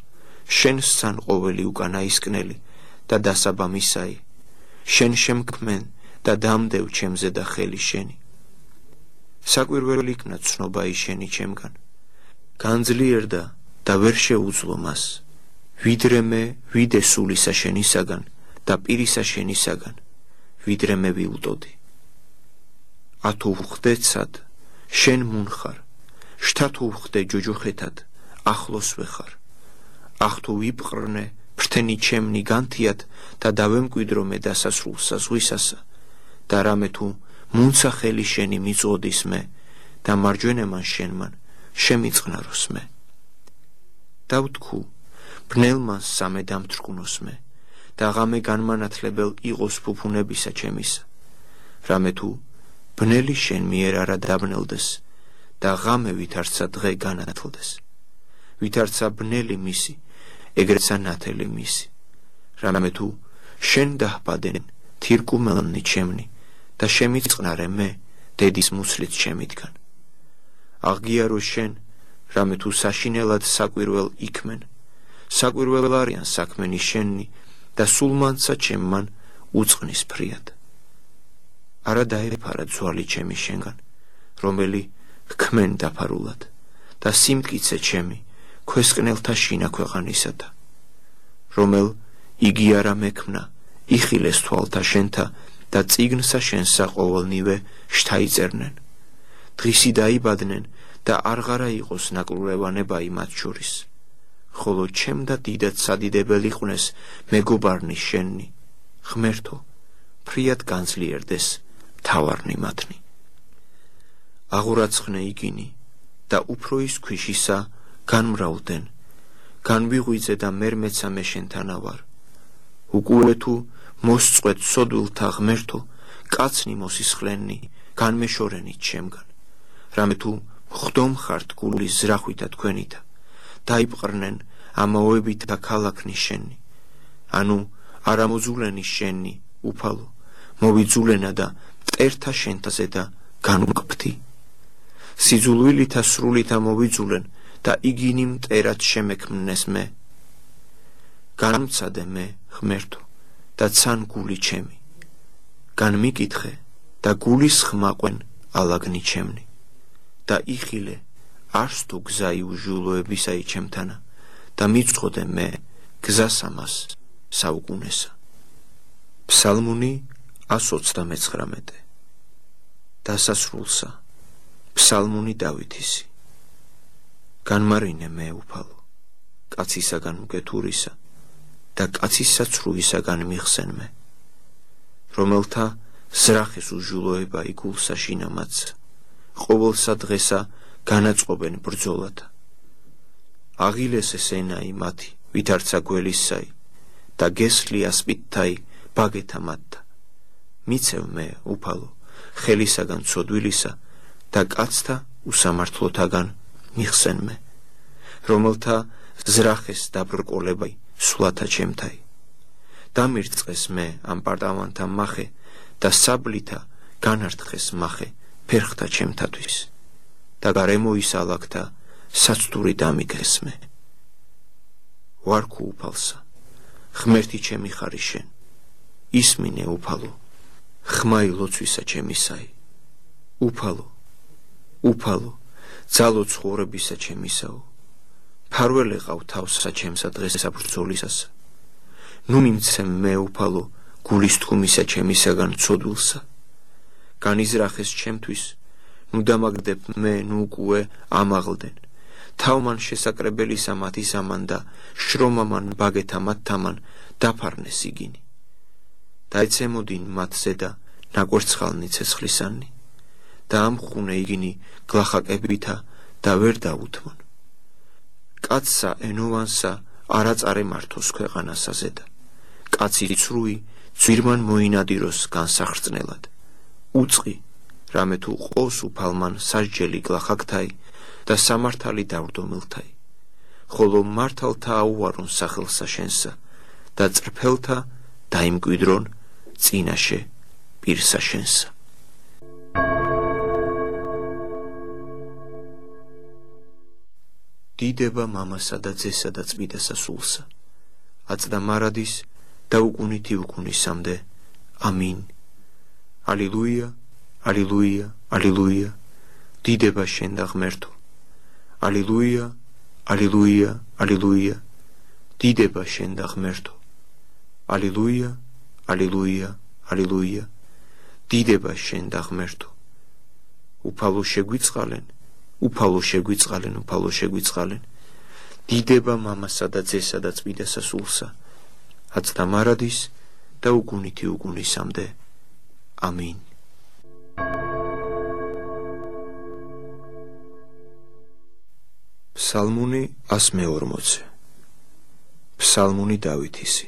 შენ სცან ყოველი უკანაისკნელი და დასაბამისაი, შენ შემქმენ და დამდევ ჩემზე და ხელი შენი. საკვირველი იქნა ცნობაი შენი ჩემგან, განძლიერდა და ვერ შეუძლო მას, ვიდრე მე ვიდე სულისა შენისაგან და პირისა შენისაგან, ვიდრე მე ვილტოდი. ათუ ვხვდეცად, შენ მუნხარ, შთათუ ვხვდე ჯოჯოხეთად, ახლოს ვეხარ. ახთუ ვიპყრნე, ფრთენი ჩემნი განთიად და დავემკვიდრო მე დასასრულსა ზღვისასა და რამე თუ მუნცა ხელი შენი მიწოდის მე და მარჯვენემან შენმან შემიწყნაროს მე. დავთქუ, ბნელმან სამე დამთრკუნოს მე და ღამე განმანათლებელ იყოს ფუფუნებისა ჩემისა, რამე თუ ბნელი შენ მიერ არა დაბნელდეს და ღამე ვითარცა დღე განათლდეს. ვითარცა ბნელი მისი, ეგრეცა ნათელი მისი, რამე თუ შენ დაჰბადენ თირკუმელნი ჩემნი და შემიწყნარე მე დედის მუცლით შემიდგან. აღგიარო შენ, რამე თუ საშინელად საკვირველ იქმენ, საკვირველ არიან საქმენი შენი და სულმანცა ჩემმან უწყნის ფრიად. არა დაეფარა ძვალი ჩემი შენგან, რომელი ჰქმენ დაფარულად და სიმტკიცე ჩემი ქვესკნელთა შინა ქვეყანისათა, რომელ იგი არა მექმნა, იხილეს თვალთა შენთა და წიგნსა შენსა ყოველნივე შთაიწერნენ. დღისი დაიბადნენ და არღარა იყოს ნაკურევანება იმათ შორის, ხოლო ჩემ და დიდად სადიდებელი ყვნეს მეგობარნი შენი, ღმერთო, ფრიად განძლიერდეს მთავარნი მათნი. აღურაცხნე იგინი და უფრო ის ქვიშისა განმრავლდნენ, განვიღვიძე და მერმეცა მე შენთანა ვარ. უკუე თუ მოსწყვეთ სოდვილთა ღმერთო, კაცნი მოსისხლენნი, განმეშორენით ჩემგან, რამე თუ ხდომ ხართ გულის ზრახვითა თქვენითა, დაიპყრნენ ამაოებით და ქალაქნი შენი, ანუ არამოძულენი შენი, უფალო, მოვიძულენა და მტერთა შენთაზე და განუკფთი. სიძულვილითა სრულითა მოვიძულენ და იგინი მტერად შემექმნეს მე. განმცადე მე, ღმერთო, და ცან გული ჩემი, განმიკითხე და გულის ხმაყვენ ალაგნი ჩემნი და იხილე არს თუ გზა იუჟულოებისაი ჩემთანა და მიწყოდე მე გზას ამას საუკუნესა. ფსალმუნი 129. დასასრულსა ფსალმუნი დავითისი. განმარინე მე უფალო, კაცისაგან მკეთურისა და კაცისა ცრუისაგან მიხსენ მე, რომელთა ზრახის უჟულოება იგულსა შინამაცა, ყოველსა დღესა განაწყობენ ბრძოლათა. აღილესე სენაი მათი, ვითარცა გველისაი და გესლი ასპიდთაი ბაგეთა მათთა. მიცევ მე, უფალო, ხელისაგან ცოდვილისა და კაცთა უსამართლოთაგან მიხსენ მე, რომელთა ზრახეს დაბრკოლებაი სვლათა ჩემთაი. დამირწყეს მე ამ პარტავანთა მახე და საბლითა განარტყეს მახე ფერხთა ჩემთათვის და გარემოის ალაგთა საცდური დამიგეს მე. ვარქუ უფალსა, ღმერთი ჩემი ხარი შენ, ისმინე უფალო, ხმაი ლოცვისა ჩემისაი. უფალო, უფალო, ძალო ცხოვრებისა ჩემისაო, ფარველი ყავ თავსა ჩემსა დღესა ბრძოლისასა. ნუ მიმცემ მე უფალო გულის თქუმისა ჩემისაგან ცოდვილსა. განიზრახეს ჩემთვის, ნუ დამაგდებ მე ნუ უკუე ამაღლდენ. თავმან შესაკრებელისა მათი ზამან და შრომამან ბაგეთა მათთამან დაფარნეს იგინი. დაეცემოდინ მათ ზედა ნაკვერცხალნი ცეცხლისანი და ამხუნე იგინი გლახაკებითა და ვერ დაუთმონ. კაცსა ენოვანსა არაწარე მართოს ქვეყანასა ზედა, კაცი ცრუი ძვირმან მოინადიროს განსახრწნელად. უწყი, რამე თუ ყოს უფალმან სასჯელი გლახაკთაი და სამართალი დავრდომილთაი, ხოლო მართალთა აუარონ სახელსა შენსა და წრფელთა დაიმკვიდრონ წინაშე პირსა შენსა. დიდება მამასა და ძესა და წმიდასა სულსა, აწდა მარადის და უკუნითი უკუნისამდე. ამინ. ალილუია, ალილუია, ალილუია, დიდება შენ და ღმერთო. ალილუია, ალილუია, ალილუია, დიდება შენ და ღმერთო. ალილუია, ალილუია, ალილუია, დიდება შენ და ღმერთო. უფალო შეგვიწყალენ, უფალო შეგვიწყალენ, უფალო შეგვიწყალენ, დიდება მამასა და ძესა და წმინდა სასულსა, აც და მარადის და უგუნითი უგუნისამდე. ამინ. ფსალმუნი 140. ფსალმუნი დავითისი.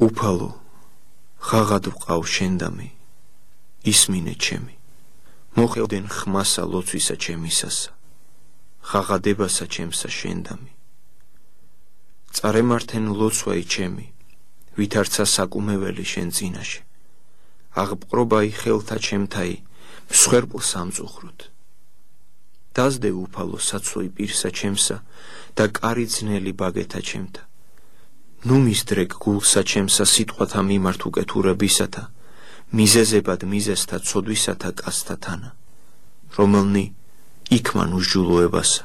უფალო, ღაღად ვყავ შენდამი, ისმინე ჩემი. მოხელდენ ხმასა ლოცვისა ჩემისასა, ღაღადებასა ჩემსა შენდამი. წარემართენ ლოცვაი ჩემი, ვითარცა საკუმეველი შენ წინაშე. აღპყრობაი ხელთა ჩემთაი, მსხვერპლ სამწუხროდ. დაზდე უფალო საცვოი პირსა ჩემსა და კარი ძნელი ბაგეთა ჩემთა. ნუ მისდრეკ გულსა ჩემსა სიტყვათა მიმართ უკეთურებისათა, მიზეზებად მიზესთა ცოდვისათა კაცთა თანა, რომელნი იქმან უსჯულოებასა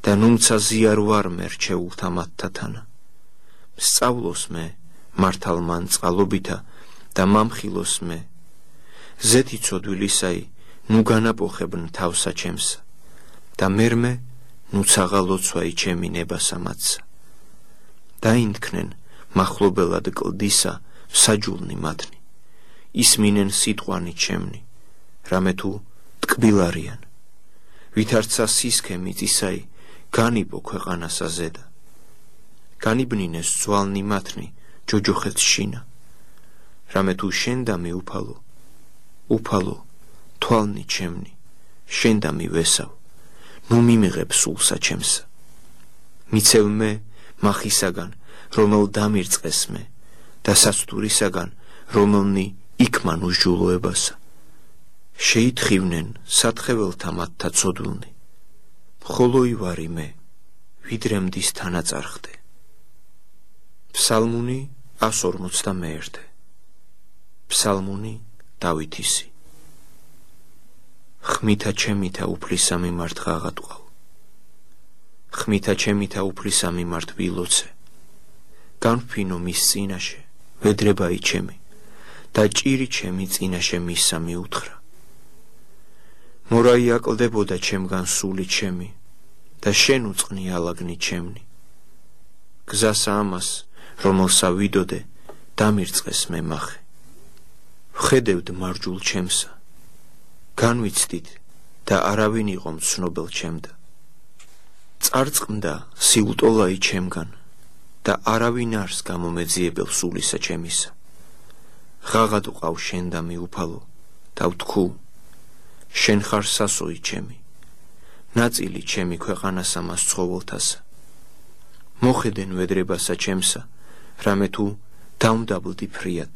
და ნუმცა ზიარ ვარ მე რჩეულთა მათთა თანა. სწავლოს მე მართალმან წყალობითა და მამხილოს მე, ზეთი ცოდვილისაი ნუ განაპოხებნ თავსა ჩემსა და მერმე ნუ ცაღალოცვაი ჩემი ნებასა მათსა. დაინთქნენ მახლობელად კლდისა საჯულნი მათნი, ისმინენ სიტყვანი ჩემნი, რამე თუ ტკბილარიან. ვითარცა სისქე მიწისაი, განიბო ქვეყანასა ზედა. განიბნინეს ძვალნი მათნი, ჯოჯოხეთ შინა. რამე თუ შენდამი უფალო, უფალო, თვალნი ჩემნი, შენდამი ვესავ, ნუ მიმიღებ სულსა ჩემსა. მიცევ მე მახისაგან, რომელ დამირწყეს მე, და სასტურისაგან, რომელნი იქმან უსჯულოებასა. შეითხოვნენ სათხეველთა მათთა ცოდვილნი, მხოლოი ვარი მე, ვიდრე მდის თანაწარხდე. ფსალმუნი 141. ფსალმუნი დავითისი. ხმითა ჩემითა უფლისა მიმართ ღაღად ვყავ, ხმითა ჩემითა უფლისა მიმართ ვილოცე. განვფინო მის წინაშე, ვედრებაი ჩემი, და ჭირი ჩემი წინაშე მისსა მიუთხრა. მორაი აკლდებოდა ჩემგან სული ჩემი, და შენ უწყნი ალაგნი ჩემნი. გზასა ამას, რომელსა ვიდოდე, დამირწყეს მე მახე. ვხედევდ მარჯულ ჩემსა, განვიცდით და არავინ იყო მცნობელ ჩემდა. წარწყმდა სიუტოლაი ჩემგან და არავინ არს გამომეძიებელ სულისა ჩემისა. ღაღად ვყავ შენდამი უფალო და ვთქუ, შენ ხარ სასოი ჩემი, ნაწილი ჩემი ქვეყანასა მას ცხოველთასა. მოხედენ ვედრებასა ჩემსა, რამე თუ დამდაბლდი ფრიად.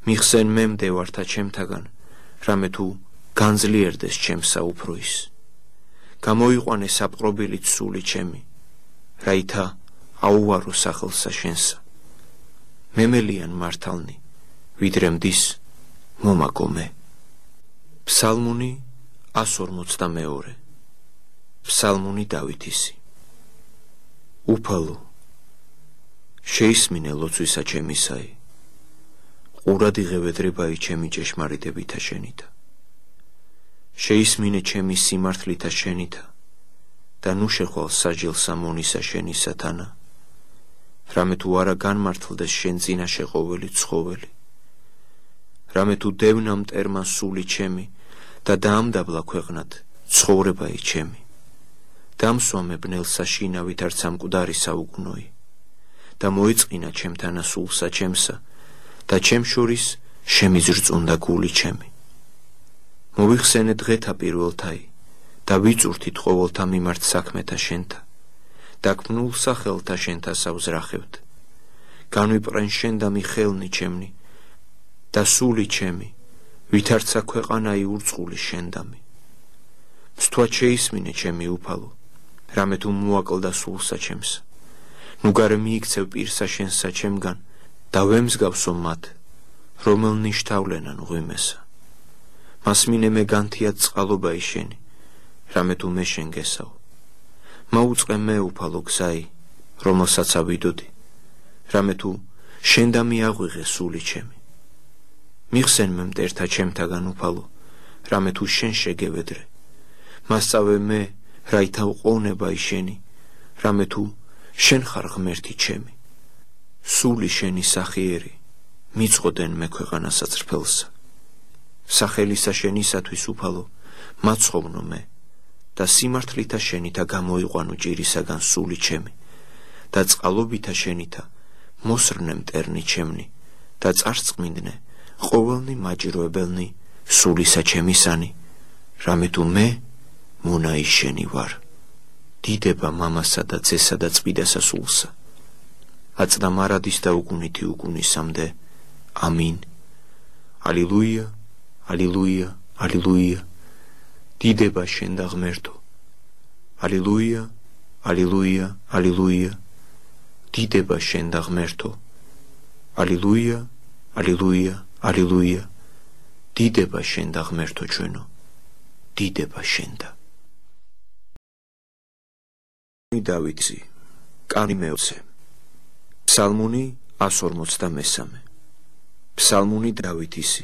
მიხსენ მე მდევართა ჩემთაგან, რამე თუ განძლიერდეს ჩემსა უფრო ის. გამოიყვანე საპყრობილით სული ჩემი, რაითა აუვარო სახელსა შენსა. მემელიან მართალნი, ვიდრე მდის მომაგო მე. ფსალმუნი 142. ფსალმუნი დავითისი. უფალო, შეისმინე ლოცვისა ჩემისაი, ყურად იღე ვედრებაი ჩემი ჭეშმარიტებითა შენითა. შეისმინე ჩემი სიმართლითა შენითა და ნუ შეხვალ საჯელსა მონისა შენისა თანა, რამე თუ არა განმართლდეს შენ წინაშე ყოველი ცხოველი. რამე თუ დევნა მტერმა სული ჩემი და დაამდაბლა ქვეყნად ცხოვრებაი ჩემი. დამსვამე ბნელსა შინავით არც ამ მკვდარი საუგუნოი და მოიწყინა ჩემთანა სულსა ჩემსა და ჩემ შორის შემიზრწუნდა გული ჩემი. მოვიხსენე დღეთა პირველთაი და ვიწურთით ყოველთა მიმართ საქმეთა შენთა და ქმნულ სახელთა შენთა სავზრახევთ. განვიპრენ შენდამი ხელნი ჩემნი და სული ჩემი, ვითარცა ქვეყანაი ურწყული შენდამი. მსთვა შეისმინე ჩემი უფალო, რამე თუ მოაკლდა სულსა ჩემსა. ნუ გარე მიიქცევ პირსა შენსა ჩემგან და ვემსგავსო მათ, რომელნი შთავლენან ღვიმესა. მასმინე მე განთიად წყალობაი შენი, რამე თუ მე შენ გესავ. მაუწყე მე უფალო გზაი, რომელსაც ავიდოდი, რამე თუ შენ და მიაღვიღე სული ჩემი. მიხსენ მე მტერთა ჩემთაგან უფალო, რამე თუ შენ შეგევედრე. მასწავე მე, რაითა უყოვნება შენი, რამე თუ შენ ხარ ღმერთი ჩემი. სული შენი სახიერი, მიწყოდენ მე ქვეყანასაც რფელსა. სახელისა შენისათვის უფალო, მაცხოვრნო მე და სიმართლითა შენითა გამოიყვანო ჭირისაგან სული ჩემი და წყალობითა შენითა მოსრნე მტერნი ჩემნი და წარწყმინდნე ყოველნი მაჯროებელნი სულისა ჩემისანი, რამე თუ მე მონაი შენი ვარ. დიდება მამასა და ძესა და წმიდასა სულსა. აწდა მარადის და უგუნითი უგუნისამდე. ამინ. ალილუია, ალილუია, ალილუია. დიდება შენ და ღმერთო. ალილუია, ალილუია, ალილუია. დიდება შენ და ღმერთო. ალილუია, ალილუია, ალილუია. დიდება შენ და ღმერთო ჩვენო. დიდება შენ და. დავითი, კანი მეოცე. ფსალმუნი 143. ფსალმუნი დავითისი,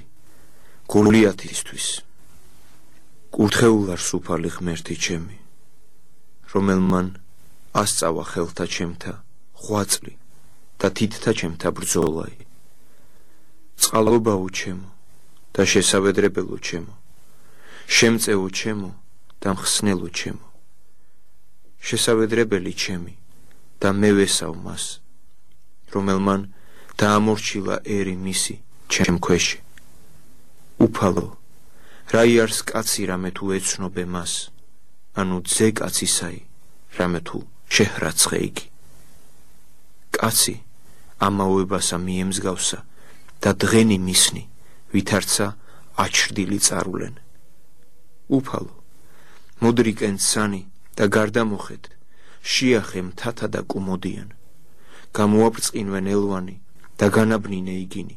გოლიათისთვის. კურთხეულ არ სუფალი ღმერთი ჩემი, რომელმან ასწავა ხელთა ჩემთა ღვაწლი და თითთა ჩემთა ბრძოლაი. წყალობაო ჩემო და შესავედრებელო ჩემო, შემწეო ჩემო და მხსნელო ჩემო. შესავედრებელი ჩემი და მე ვესავ მას, რომელმან დაამორჩილა ერი მისი ჩემ ქვეში. უფალო, რა იარს კაცი რამე თუ ეცნობე მას, ანუ ძე კაცისაი რამე თუ შეჰრაცხე იგი. კაცი ამაოებასა მიემსგავსა და დღენი მისნი, ვითარცა აჩრდილი წარულენ. უფალო, მოდრიკენ ცანი და გარდამოხეთ, შიახე მთათა და კუმოდიან. გამოაბრწყინვენ ელვანი და განაბნინე იგინი.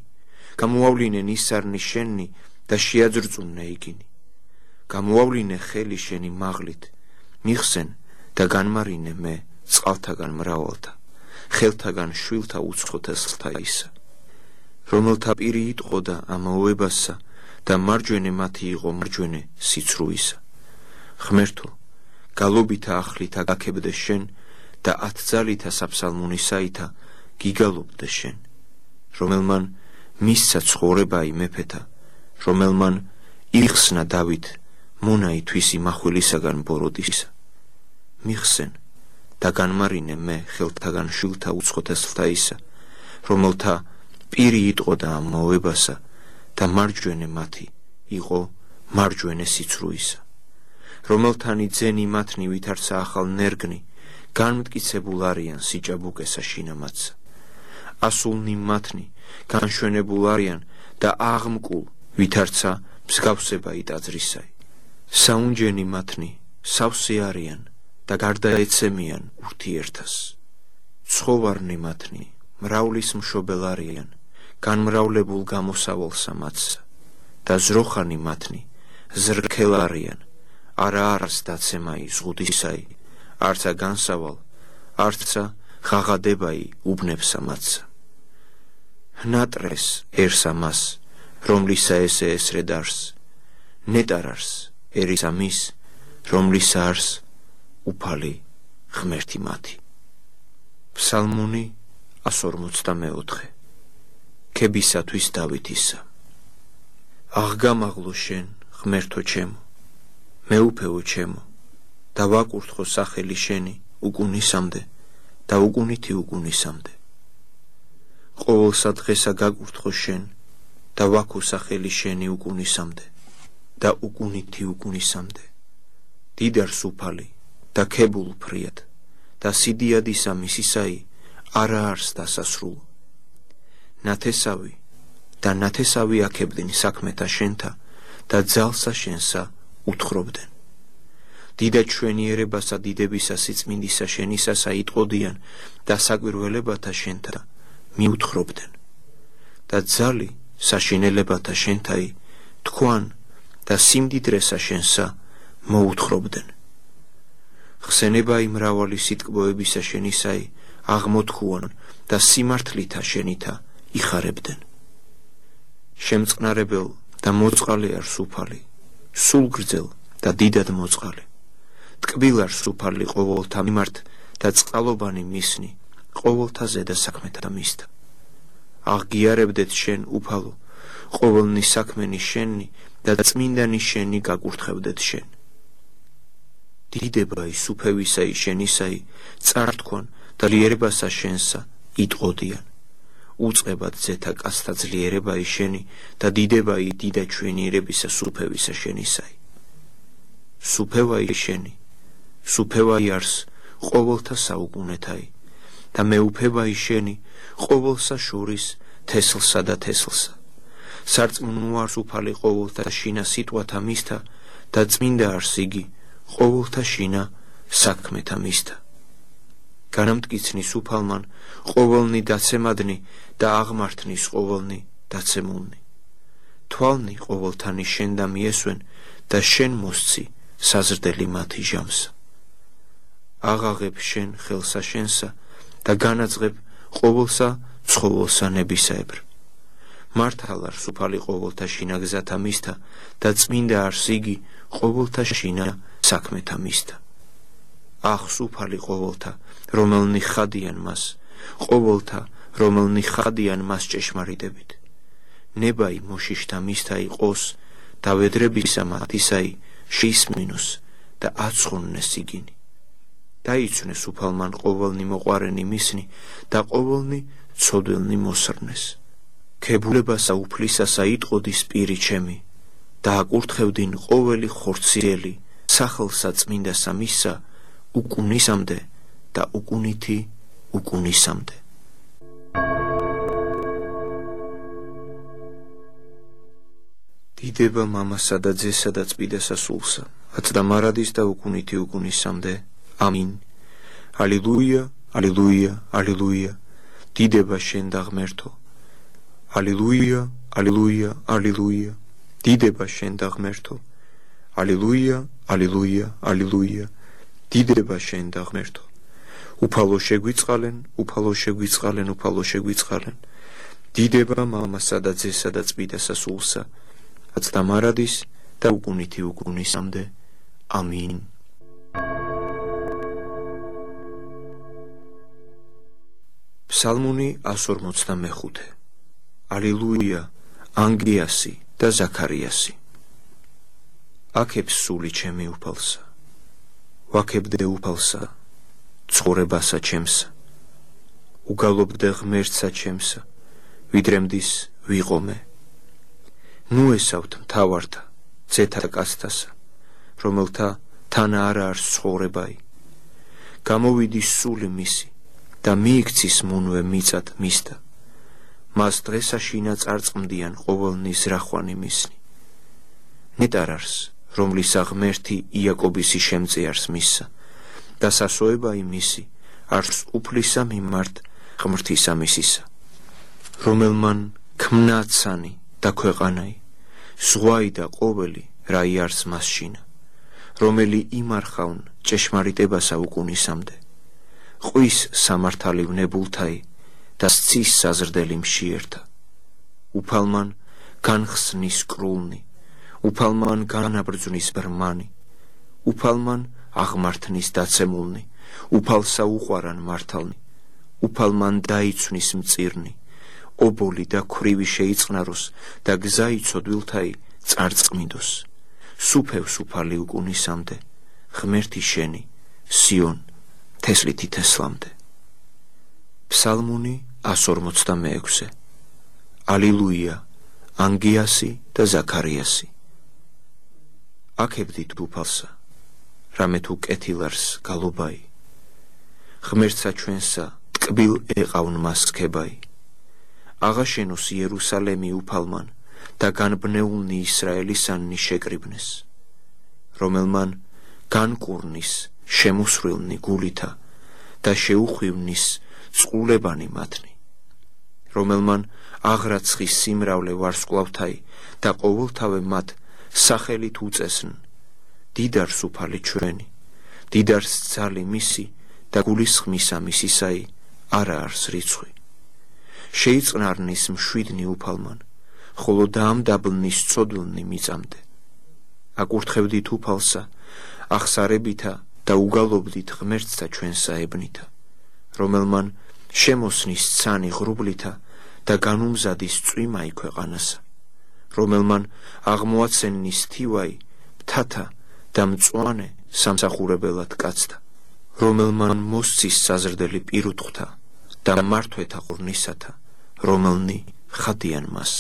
გამოავლინენ ისარნი შენი და შეაძრწუნნე იგინი. გამოავლინე ხელი შენი მაღლით, მიხსენ და განმარინე მე წყალთაგან მრავალთა, ხელთაგან შვილთა უცხოთესლთა ისა. რომელთა პირი იტყოდა ამაოებასა და მარჯვენე მათი იყო მარჯვენე სიცრუისა. ღმერთო, გალობითა ახლითა გაქებდე შენ და ათძალითა საფსალმუნისაითა გიგალობდე შენ. რომელმან მისცა ცხოვრებაი მეფეთა, რომელმან იხსნა დავით მონაი თვისი მახვილისაგან ბოროტისა. მიხსენ და განმარინე მე ხელთაგან შვილთა უცხოთესლთა ისა, რომელთა პირი იტყოდა ამაოებასა და მარჯვენე მათი იყო მარჯვენე სიცრუისა. რომელთანი ძენი მათნი ვითარცა ახალ ნერგნი, განმტკიცებულ არიან სიჭაბუკესა შინამათსა. ასულნი მათნი განშვენებულ არიან და აღმკულ, ვითარცა მსგავსება იტაძრისაი. საუნჯენი მათნი სავსე არიან და გარდაეცემიან ურთიერთას. ცხოვარნი მათნი მრავლის მშობელ არიან, განმრავლებულ გამოსავალსა მათსა და ზროხანი მათნი ზრქელ არიან, არა არას დაცემაი ზღუდისაი, არცა განსავალ, არცა ღაღადებაი უბნებსა მათსა. ნატრეს ერსა მას, რომლისა ესე ესრე დარს, ნეტარარს ერისა მის, რომლისა არს უფალი ღმერთი მათი. ფსალმუნი 144. ქებისათვის დავითისა. აღგამაღლო შენ ღმერთო ჩემო, მეუფეო ჩემო და ვაკურთხო სახელი შენი უკუნისამდე და უკუნითი უკუნისამდე. ყოველსა დღესა გაკურთხო შენ და ვაქო სახელი შენი უკუნისამდე და უკუნითი უკუნისამდე. დიდარს უფალი და ქებულ ფრიად და სიდიადისა მისისაი არა არს დასასრულო. ნათესავი და ნათესავი აქებდნენ საქმეთა შენთა და ძალსა შენსა უთხრობდნენ. დიდა ჩვენიერებასა დიდებისა სიწმინდისა შენისასა იტყოდიან და საკვირველებათა შენთა მიუთხრობდნენ. და ძალი საშინელებათა შენთაი თქვან და სიმდიდრესა შენსა მოუთხრობდნენ. ხსენებაი მრავალი სიტკბოებისა შენისაი აღმოთქუან და სიმართლითა შენითა იხარებდნენ. შემწყნარებელ და მოწყალე არ სუფალი, სულ გრძელ და დიდად მოწყალე. ტკბილ არ სუფალი ყოველთა მიმართ და წყალობანი მისნი ყოველთა ზედა საქმეთა მისთა. აღგიარებდეთ შენ უფალო, ყოველნი საქმენი შენი და წმინდანი შენი გაკურთხევდეთ შენ. დიდებაი სუფევისაი შენისაი წართქვან და ლიერებასა შენსა იტყოდიან. უწყებად ზეთა კაცთა ძლიერებაი შენი და დიდებაი დიდა ჩვენიერებისა სუფევისა შენისაი. სუფევაი შენი, სუფევაი არს ყოველთა საუკუნეთაი და მეუფევაი შენი ყოველსა შორის თესლსა და თესლსა. სარწმუნო არს უფალი ყოველთა შინა სიტყვათა მისთა და წმინდა არს იგი ყოველთა შინა საქმეთა მისთა. განამტკიცნის უფალმან ყოველნი დაცემადნი და აღმართნის ყოველნი დაცემულნი. თვალნი ყოველთანი შენ და მიესვენ და შენ მოსცი საზრდელი მათი ჟამსა. აღაღებ შენ ხელსა შენსა და განაძღებ ყოველსა ცხოველსა ნებისაებრ. მართალ არს უფალი ყოველთა შინა გზათა მისთა და წმინდა არს იგი ყოველთა შინა საქმეთა მისთა. ახს უფალი ყოველთა, რომელნი ხადიან მას, ყოველთა, რომელნი ხადიან მას ჭეშმარიტებით. ნებაი მოშიშთა მისთა იყოს და ვედრებისა მათისაი შეისმინოს და აცხოვნეს იგინი. დაიცვნეს უფალმან ყოველნი მოყვარენი მისნი და ყოველნი ცოდველნი მოსრნეს. ქებულებასა უფლისასა იტყოდის პირი ჩემი და აკურთხევდინ ყოველი ხორციელი სახელსა წმინდასა მისსა უკუნისამდე და უკუნითი უკუნისამდე. დიდება მამასა და ძესა და წმინდასა სულსა, ათდა მარადის და უკუნითი უკუნისამდე. ამინ. ალილუია, ალილუია, ალილუია. დიდება შენ და ღმერთო. ალილუია, ალილუია, ალილუია. დიდება შენ და ღმერთო. ალილუია, ალილუია, ალილუია. დიდება შენ და ღმერთო. უფალო შეგვიწყალენ, უფალო შეგვიწყალენ, უფალო შეგვიწყალენ. დიდება მამასა და ძესა და წმინდასა სულსა, ათდა მარადის და უკუნითი უკუნისამდე. ამინ. ფსალმუნი 145. ალილუია, ანგიასი და ზაქარიასი. აქებს სული ჩემი უფალსა, ვაქებდე უფალსა, ცხოვრებასა ჩემსა, უგალობდე ღმერთსა ჩემსა, ვიდრემდის ვიყომე. ნუ ესავთ მთავართა, ძეთა კაცთასა, რომელთა თან არა არს ცხოვრებაი. გამოვიდის სული მისი და მიიქცის მუნვე მიწად მისთა. მას დღესაშინა წარწმდიან ყოველნი ზრახვანი მისნი. ნეტარ არს, რომლისა ღმერთი იაკობისი შემწიარს მისსა და სასოებაი მისი არს უფლისა მიმართ ღმრთისა მისისა. რომელმან ქმნა ცანი და ქვეყანაი, ზღვაი და ყოველი რაი არს მასშინა, რომელი იმარხავნ ჭეშმარიტებასა უკუნისამდე. ყვის სამართალი ვნებულთაი და სცის საზრდელი მშიერთა. უფალმან განხსნის კრულნი, უფალმან განაბრძვნის ბრმანი, უფალმან აღმართნის დაცემულნი, უფალსა უყვარან მართალნი, უფალმან დაიცვნის მწირნი, ობოლი და ქვრივი შეიწყნაროს და გზა იცოდვილთაი წარწმიდოს. სუფევს უფალი უკუნისამდე, ღმერთი შენი, სიონ, თესლითი თესლამდე. ფსალმუნი 146. ალილუია, ანგიასი და ზაქარიასი. აქებდით უფალსა, რამე თუ კეთილარს გალობაი. ღმერთსა ჩვენსა ტკბილ ეყავნ მას სქებაი. აღაშენოს იერუსალემი უფალმან და განბნეულნი ისრაელისანნი შეკრიბნეს. რომელმან განკურნის შემოსრილნი გულითა და შეუხვივნის წყულებანი მათნი. რომელმან აღრაცხის სიმრავლე ვარსკვლავთაი და ყოველთავე მათ სახელით უწესნ. დიდარს უფალი ჩვენი, დიდარს ძალი მისი და გულისხმისა მისისაი არა არს რიცხვი. შეიწყნარნის მშვიდნი უფალმან, ხოლო დაამდაბლნის ცოდვილნი მიწამდე. აკურთხებდით უფალსა, ახსარებითა და უგალობდით ღმერთსა ჩვენსა ებნითა, რომელმან შემოსნის ცანი ღრუბლითა და განუმზადის წვიმაი ქვეყანასა, რომელმან აღმოაცენნის თივაი მთათა და მწვანე სამსახურებელად კაცთა, რომელმან მოსცის საზრდელი პირუთხთა და მართვეთა ღურნისათა, რომელნი ხადიან მას.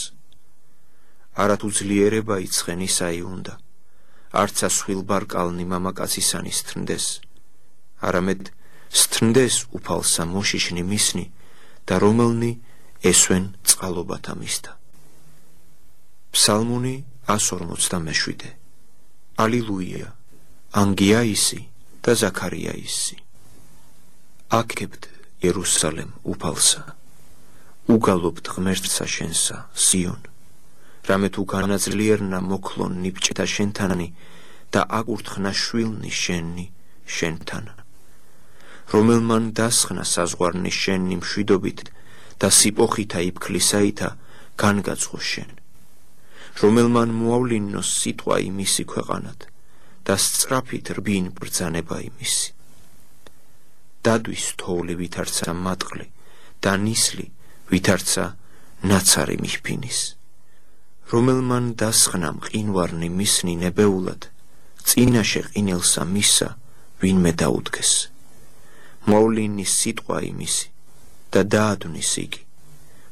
არათუ ძლიერება იცხენისაი უნდა, არცა სხვილბარკალნი მამაკაცისანი სთნდეს, არამედ სთნდეს უფალსა მოშიშნი მისნი და რომელნი ესვენ წყალობათა მისთა. ფსალმუნი 147. ალილუია, ანგიაისი და ზაქარიაისი. აკებდ იერუსალემ უფალსა, უგალობთ ღმერთსა შენსა სიონ, რამე თუ განაძლიერნა მოქლონ ნიბჭეთა შენთანი და აკურთხნა შვილნი შენი შენთან, რომელმან დასხნა საზღვარნი შენი მშვიდობით და სიპოხითა იფქლისაითა განგაცხო შენ, რომელმან მოავლინოს სიტყვა იმისი ქვეყანად და სწრაფით რბინ ბრძანება იმისი. დადვის თოვლი ვითარცა მატყლი და ნისლი ვითარცა ნაცარი მიხფინის, რომელმან დასხნა მყინვარნი მისნი ნებეულად, წინაშე ყინელსა მისა ვინმე დაუდგეს. მოავლინის სიტყვა იმისი და დაადვნის იგი,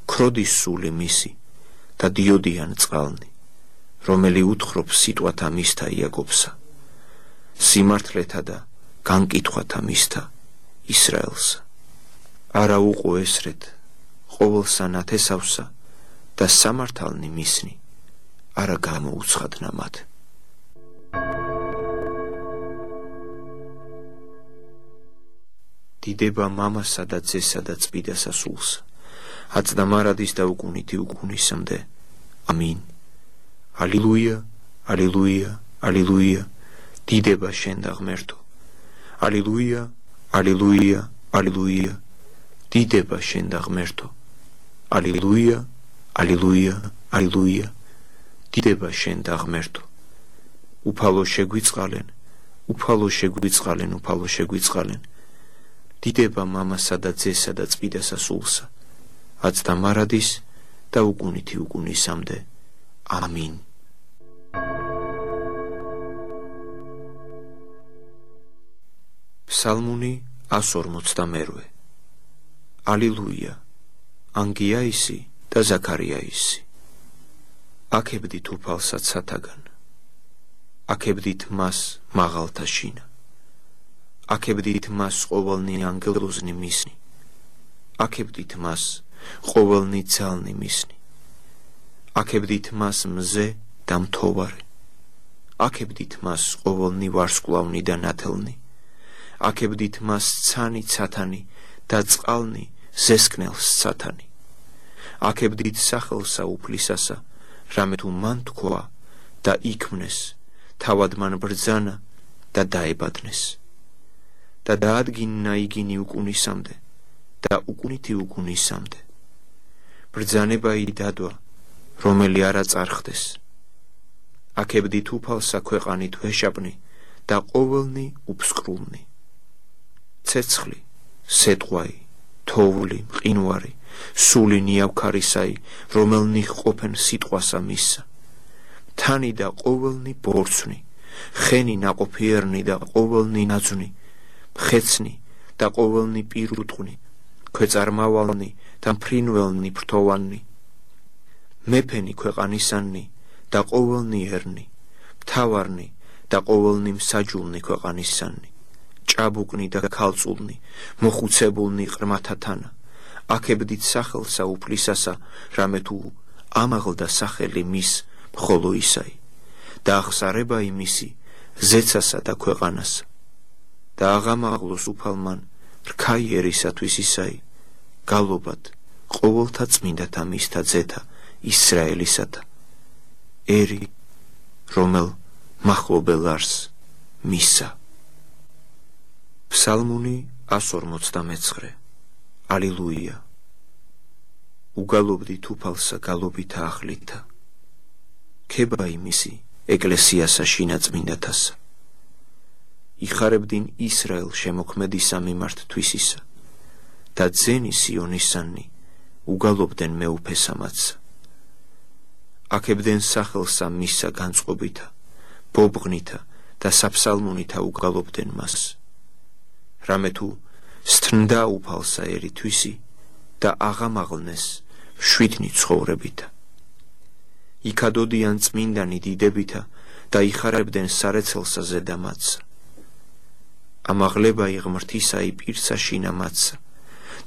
ქროდის სული მისი და დიოდიან წყალნი, რომელი უთხრობს სიტყვათა მისთა იაკობსა, სიმართლეთა და განკითხვათა მისთა ისრაელსა. არა უყო ესრეთ ყოველსა ნათესავსა და სამართალნი მისნი, არა გამოუცხადნა მათ. დიდება მამასა და ძესა და წმიდასა სულსა, აწდა მარადის და უკუნითი უკუნისამდე. ამინ. ალილუია, ალილუია, ალილუია, დიდება შენ და ღმერთო. ალილუია, ალილუია, ალილუია, დიდება შენ და ღმერთო. ალილუია, ალილუია, ალილუია, დიდება შენ და ღმერთო. უფალო შეგვიწყალენ, უფალო შეგვიწყალენ, უფალო შეგვიწყალენ. დიდება მამასა და ძესა და წმიდასა სულსა, აწდა მარადის და უკუნითი უკუნისამდე. ამინ. ფსალმუნი 142. ალილუია, ანგიაისი და ზაქარიაისი. აკებდით უფალსა ცათაგან, აკებდით მას მაღალთა შინა, აკებდით მას ყოველნი ანგელოზნი მისნი, აკებდით მას ყოველნი ძალნი მისნი, აკებდით მას მზე და მთოვარე, აკებდით მას ყოველნი ვარსკვლავნი და ნათელნი, აკებდით მას ცანი ცათანი და წყალნი ზესკნელს ცათანი, აკებდით სახელსა უფლისასა, რამე თუ მან თქვა და იქმნეს, თავად მან ბრძანა და დაებადნეს, და დაადგინნა იგინი უკუნისამდე და უკუნითი უკუნისამდე. ბრძანებაი დადვა, რომელი არა წარხდეს. აკებდით უფალსა ქვეყანით ვეშაპნი და ყოველნი უფსკრულნი. ცეცხლი, სეტყვაი, თოვლი, მყინვარი, სული ნიავქარისაი, რომელნი ყოფენ სიტყვასა მისსა. თანი და ყოველნი ბორცვი, ხენი ნაყოფიერნი და ყოველნი ნაძვნი, ხეცნი და ყოველნი პირუტყვნი, ქვეწარმავალნი და მფრინველნი ფრთოვანნი, მეფენი ქვეყანისანნი და ყოველნი ერნი, მთავარნი და ყოველნი მსაჯულნი ქვეყანისანნი, ჭაბუკნი და ქალწულნი, მოხუცებულნი ყრმათათანა, აკებდით სახელსა უფლისასა, რამე თუ ამაღლდა სახელი მის მხოლო ისაი, და ახსარება იმისი ზეცასა და ქვეყანასა, და აღამაღლოს უფალმან რქაიერისათვის ისაი, გალობად ყოველთა წმინდათა მისთა ძეთა ისრაელისათა, ერი, რომელ მახლობელ არს მისა. ფსალმუნი 149. ალილუია, უგალობდით უფალსა გალობითა ახლითა, ქება იმისი ეკლესიასა შინაწმინდათასა. იხარებდინ ისრაელ შემოქმედისა მიმართ თვისისა და ძენი სიონისანი უგალობდნენ მეუფესამათსა. აკებდნენ სახელსა მისსა განწყობითა, ბობღნითა და საფსალმუნითა უგალობდნენ მას. რამე თუ სთნდა უფალსა ერი თვისი და აღამაღლნეს მშვიდნი ცხოვრებითა. იქადოდიან წმინდანი დიდებითა და იხარებდნენ სარეცელსა ზედამათსა. ამაღლება იღმრთისაი პირსა შინამათსა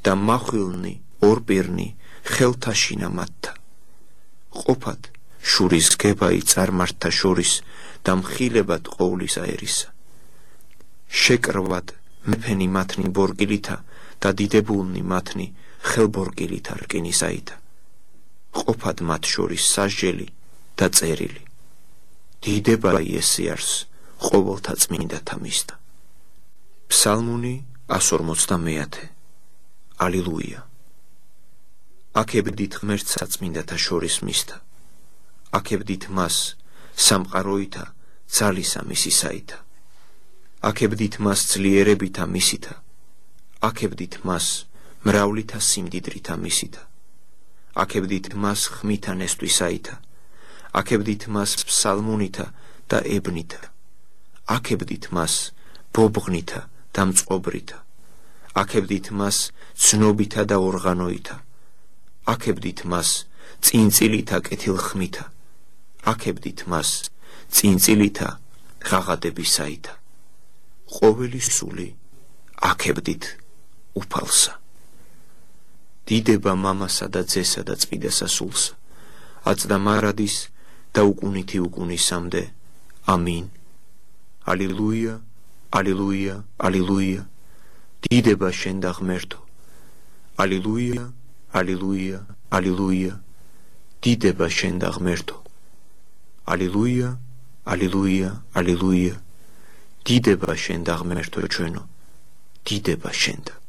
და მახვილნი ორპირნი ხელთა შინამათთა. ყოფად შურის გებაი წარმართთა შორის და მხილებად ყოვლის აერისა. შეკრვად მეფენი მათნი ბორგილითა და დიდებულნი მათნი ხელბორგილითა რკინისაითა. ყოფად მათ შორის სასჯელი და წერილი. დიდება იესიარს ყოველთა წმინდათა მისთა. ფსალმუნი 150. ალილუია. აკებდით ღმერთს საწმინდათა შორის მისთა. აკებდით მას სამყაროითა ძალისა მისისაითა. აკებდით მას ძლიერებითა მისითა. აკებდით მას მრავლითა სიმდიდრითა მისითა. აკებდით მას ხმითა ნესტვისაითა. აკებდით მას ფსალმუნითა და ებნითა. აკებდით მას ბობღნითა და მწყობრითა. აკებდით მას ცნობითა და ორღანოითა. აკებდით მას წინწილითა კეთილხმითა. აკებდით მას წინწილითა ღაღადებისაითა. ყოველი სული აკებდით უფალსა. დიდება მამასა და ძესა და წმინდასა სულსა, აწდა მარადის და უკუნითი უკუნისამდე. ამინ. ალილუია, ალილუია, ალილუია. დიდება შენ და ღმერთო. ალილუია, ალილუია, ალილუია. დიდება შენ და ღმერთო. ალილუია, ალილუია, ალილუია. დიდება შენ და ღმერთო ჩვენო. დიდება შენ და